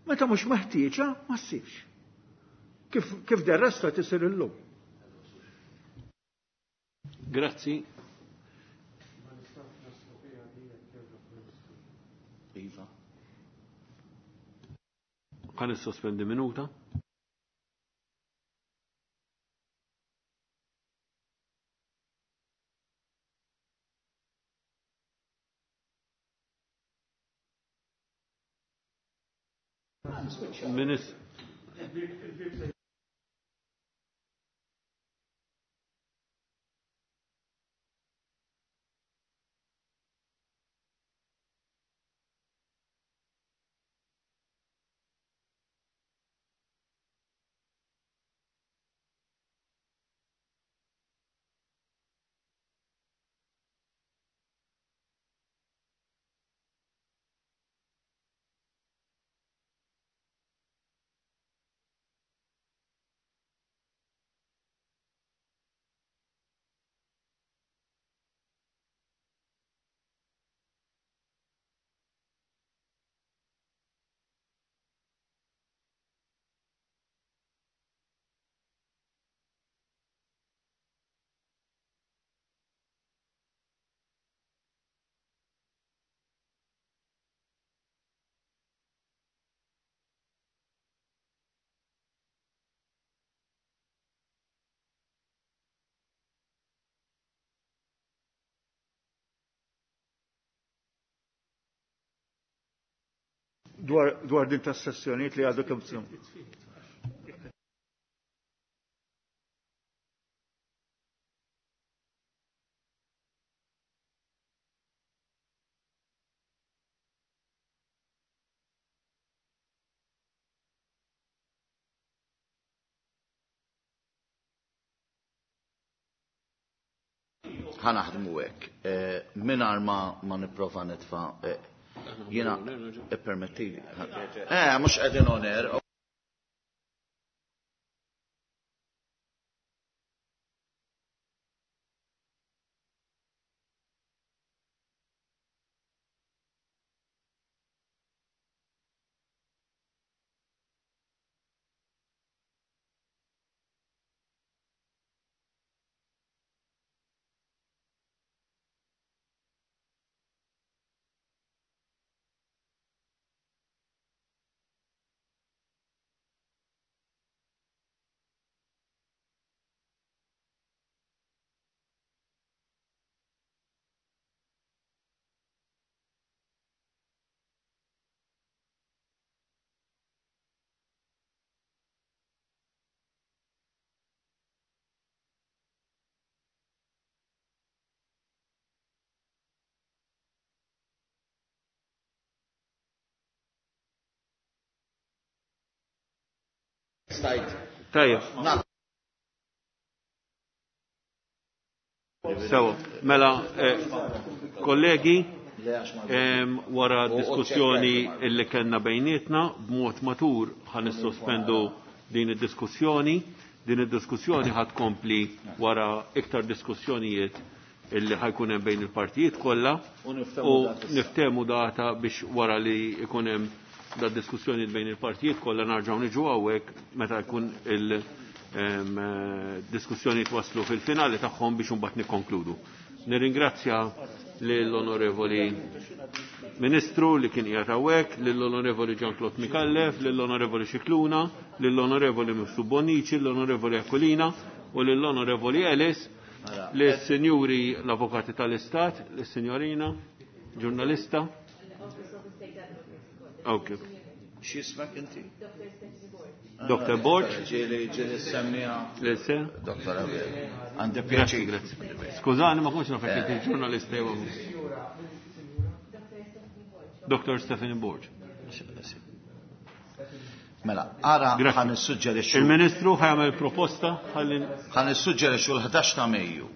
Meta mhux meħtieġa ma ssirx. Kif, kif del resto qed isir illum. Grazzi. Iva. Ħa nissospendi minuta. Minis Dwar, dwar din tas-sessjonijiet li għadu kemm tsum. Ħa naħdmu hekk. Mingħajr ma ma nipprova nitfa' jiena ippermettili. Eh, mhux qegħdin on air. Stajt Tajjeb. Sewa, mela, kollegi, wara diskussjoni illi kellna bejnietna, b'mod matur ħa nissospendu din id-diskussjoni. Din id-diskussjoni ħad kompli wara iktar diskussjonijiet illi ħajkun hemm bejn il-partijiet kollha u niftehmu data biex wara li jkun hemm da diskussjonijiet bejn il-partijiet kollha narġgħu niġu hawnhekk meta jkun il-diskussjonijiet waslu fil-finali tagħhom biex imbagħad nikkonkludu. Nirringrazzja lill-Onorevoli Ministru li kien qiegħed hawnhekk, lill-Onorevoli Jean-Claude Micallef, lill-Onorevoli Scicluna, lill-Onorevoli Mifsud Bonnici, lill-Onorevoli Aquilina u lill-Onorevoli Ellis, lis-Sinjuri l-Avukati tal-Istat, lis-Sinjorina, ġurnalista. Ok. X'ismek inti? Doktor Borg. Ġieli ġieli semmiha. Lese? Doktor Abel. Għandi pjaċir. Grazzi. Skużani ma kontx naf jekk inti ġurnalista jew. Doktor Stephanie Borg. Mela, ara Grazzi. ħa nissuġġerixxu. Il-Ministru ħa jagħmel proposta ħalli Ħa nissuġġerixxu l-ħdax ta' Mejju.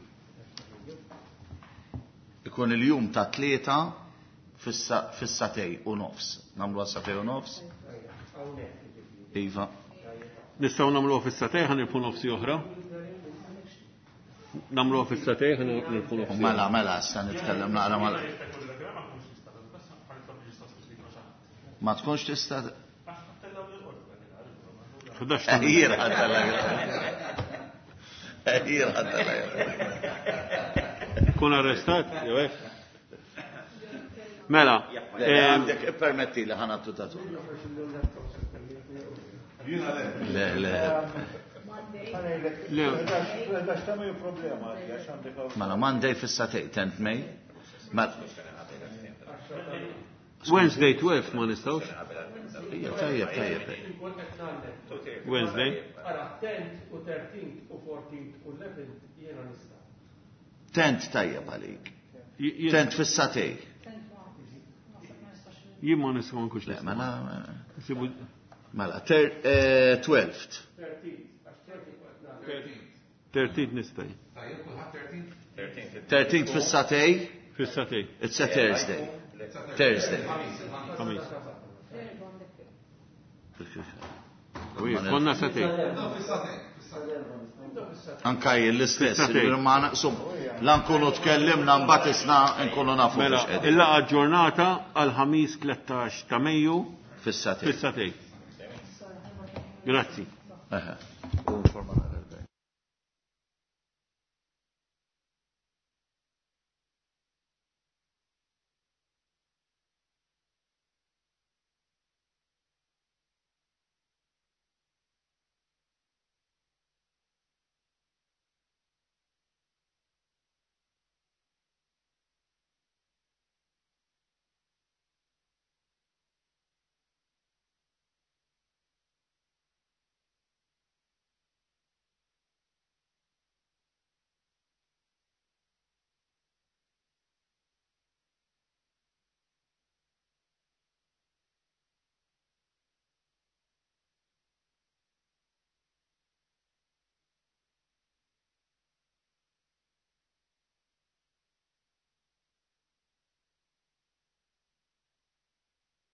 Ikun il-jum ta' tlieta fis-satej u nofs. Nagħmlu għas-satej u nofs? Iva. Nistgħu nagħmluha fis-satej ħa nilfu nofsi oħra. Nagħmluha fis-satej ħa nilfu nofsi. Mela, mela, issa nitkellem naqra mela. Ma tkunx tista' ħdax ta' Ejjir ħadd Ejjir ħadd Kun arrestat, jew hekk? Mela, għandek ippermetti li ħa nagħtu tatu. Le, le. Le. Mela, Monday fis-satej, tenth May. Mela. Wednesday twelve ma nistgħux. Ija, tajjeb, tajjeb. Wednesday. Ara, tenth u thirteenth u fourteenth u eleventh jiena nista'. Tenth tajjeb għalik. J-, j-, Tenth fis-satej. Jien ma nistgħu nkunx Le, nista'. mela, Sibu mela, ter-, eh, twelfth. Thirteenth nista'. Thirteenth fis-satej. Fis-satej. It's a Thursday. Thursday. Ħamis. Ui, konna satej. Anka jien l-istess, Fis-satej. ġifieri ma naqsum. La nkunu tkellimna mbagħad isna nkunu nafu Mela, biex qegħdin. il-laqgħa ġurnata għal ħamis tlettax ta' Mejju Fis-satej. fis-satej. Grazzi. Eħe.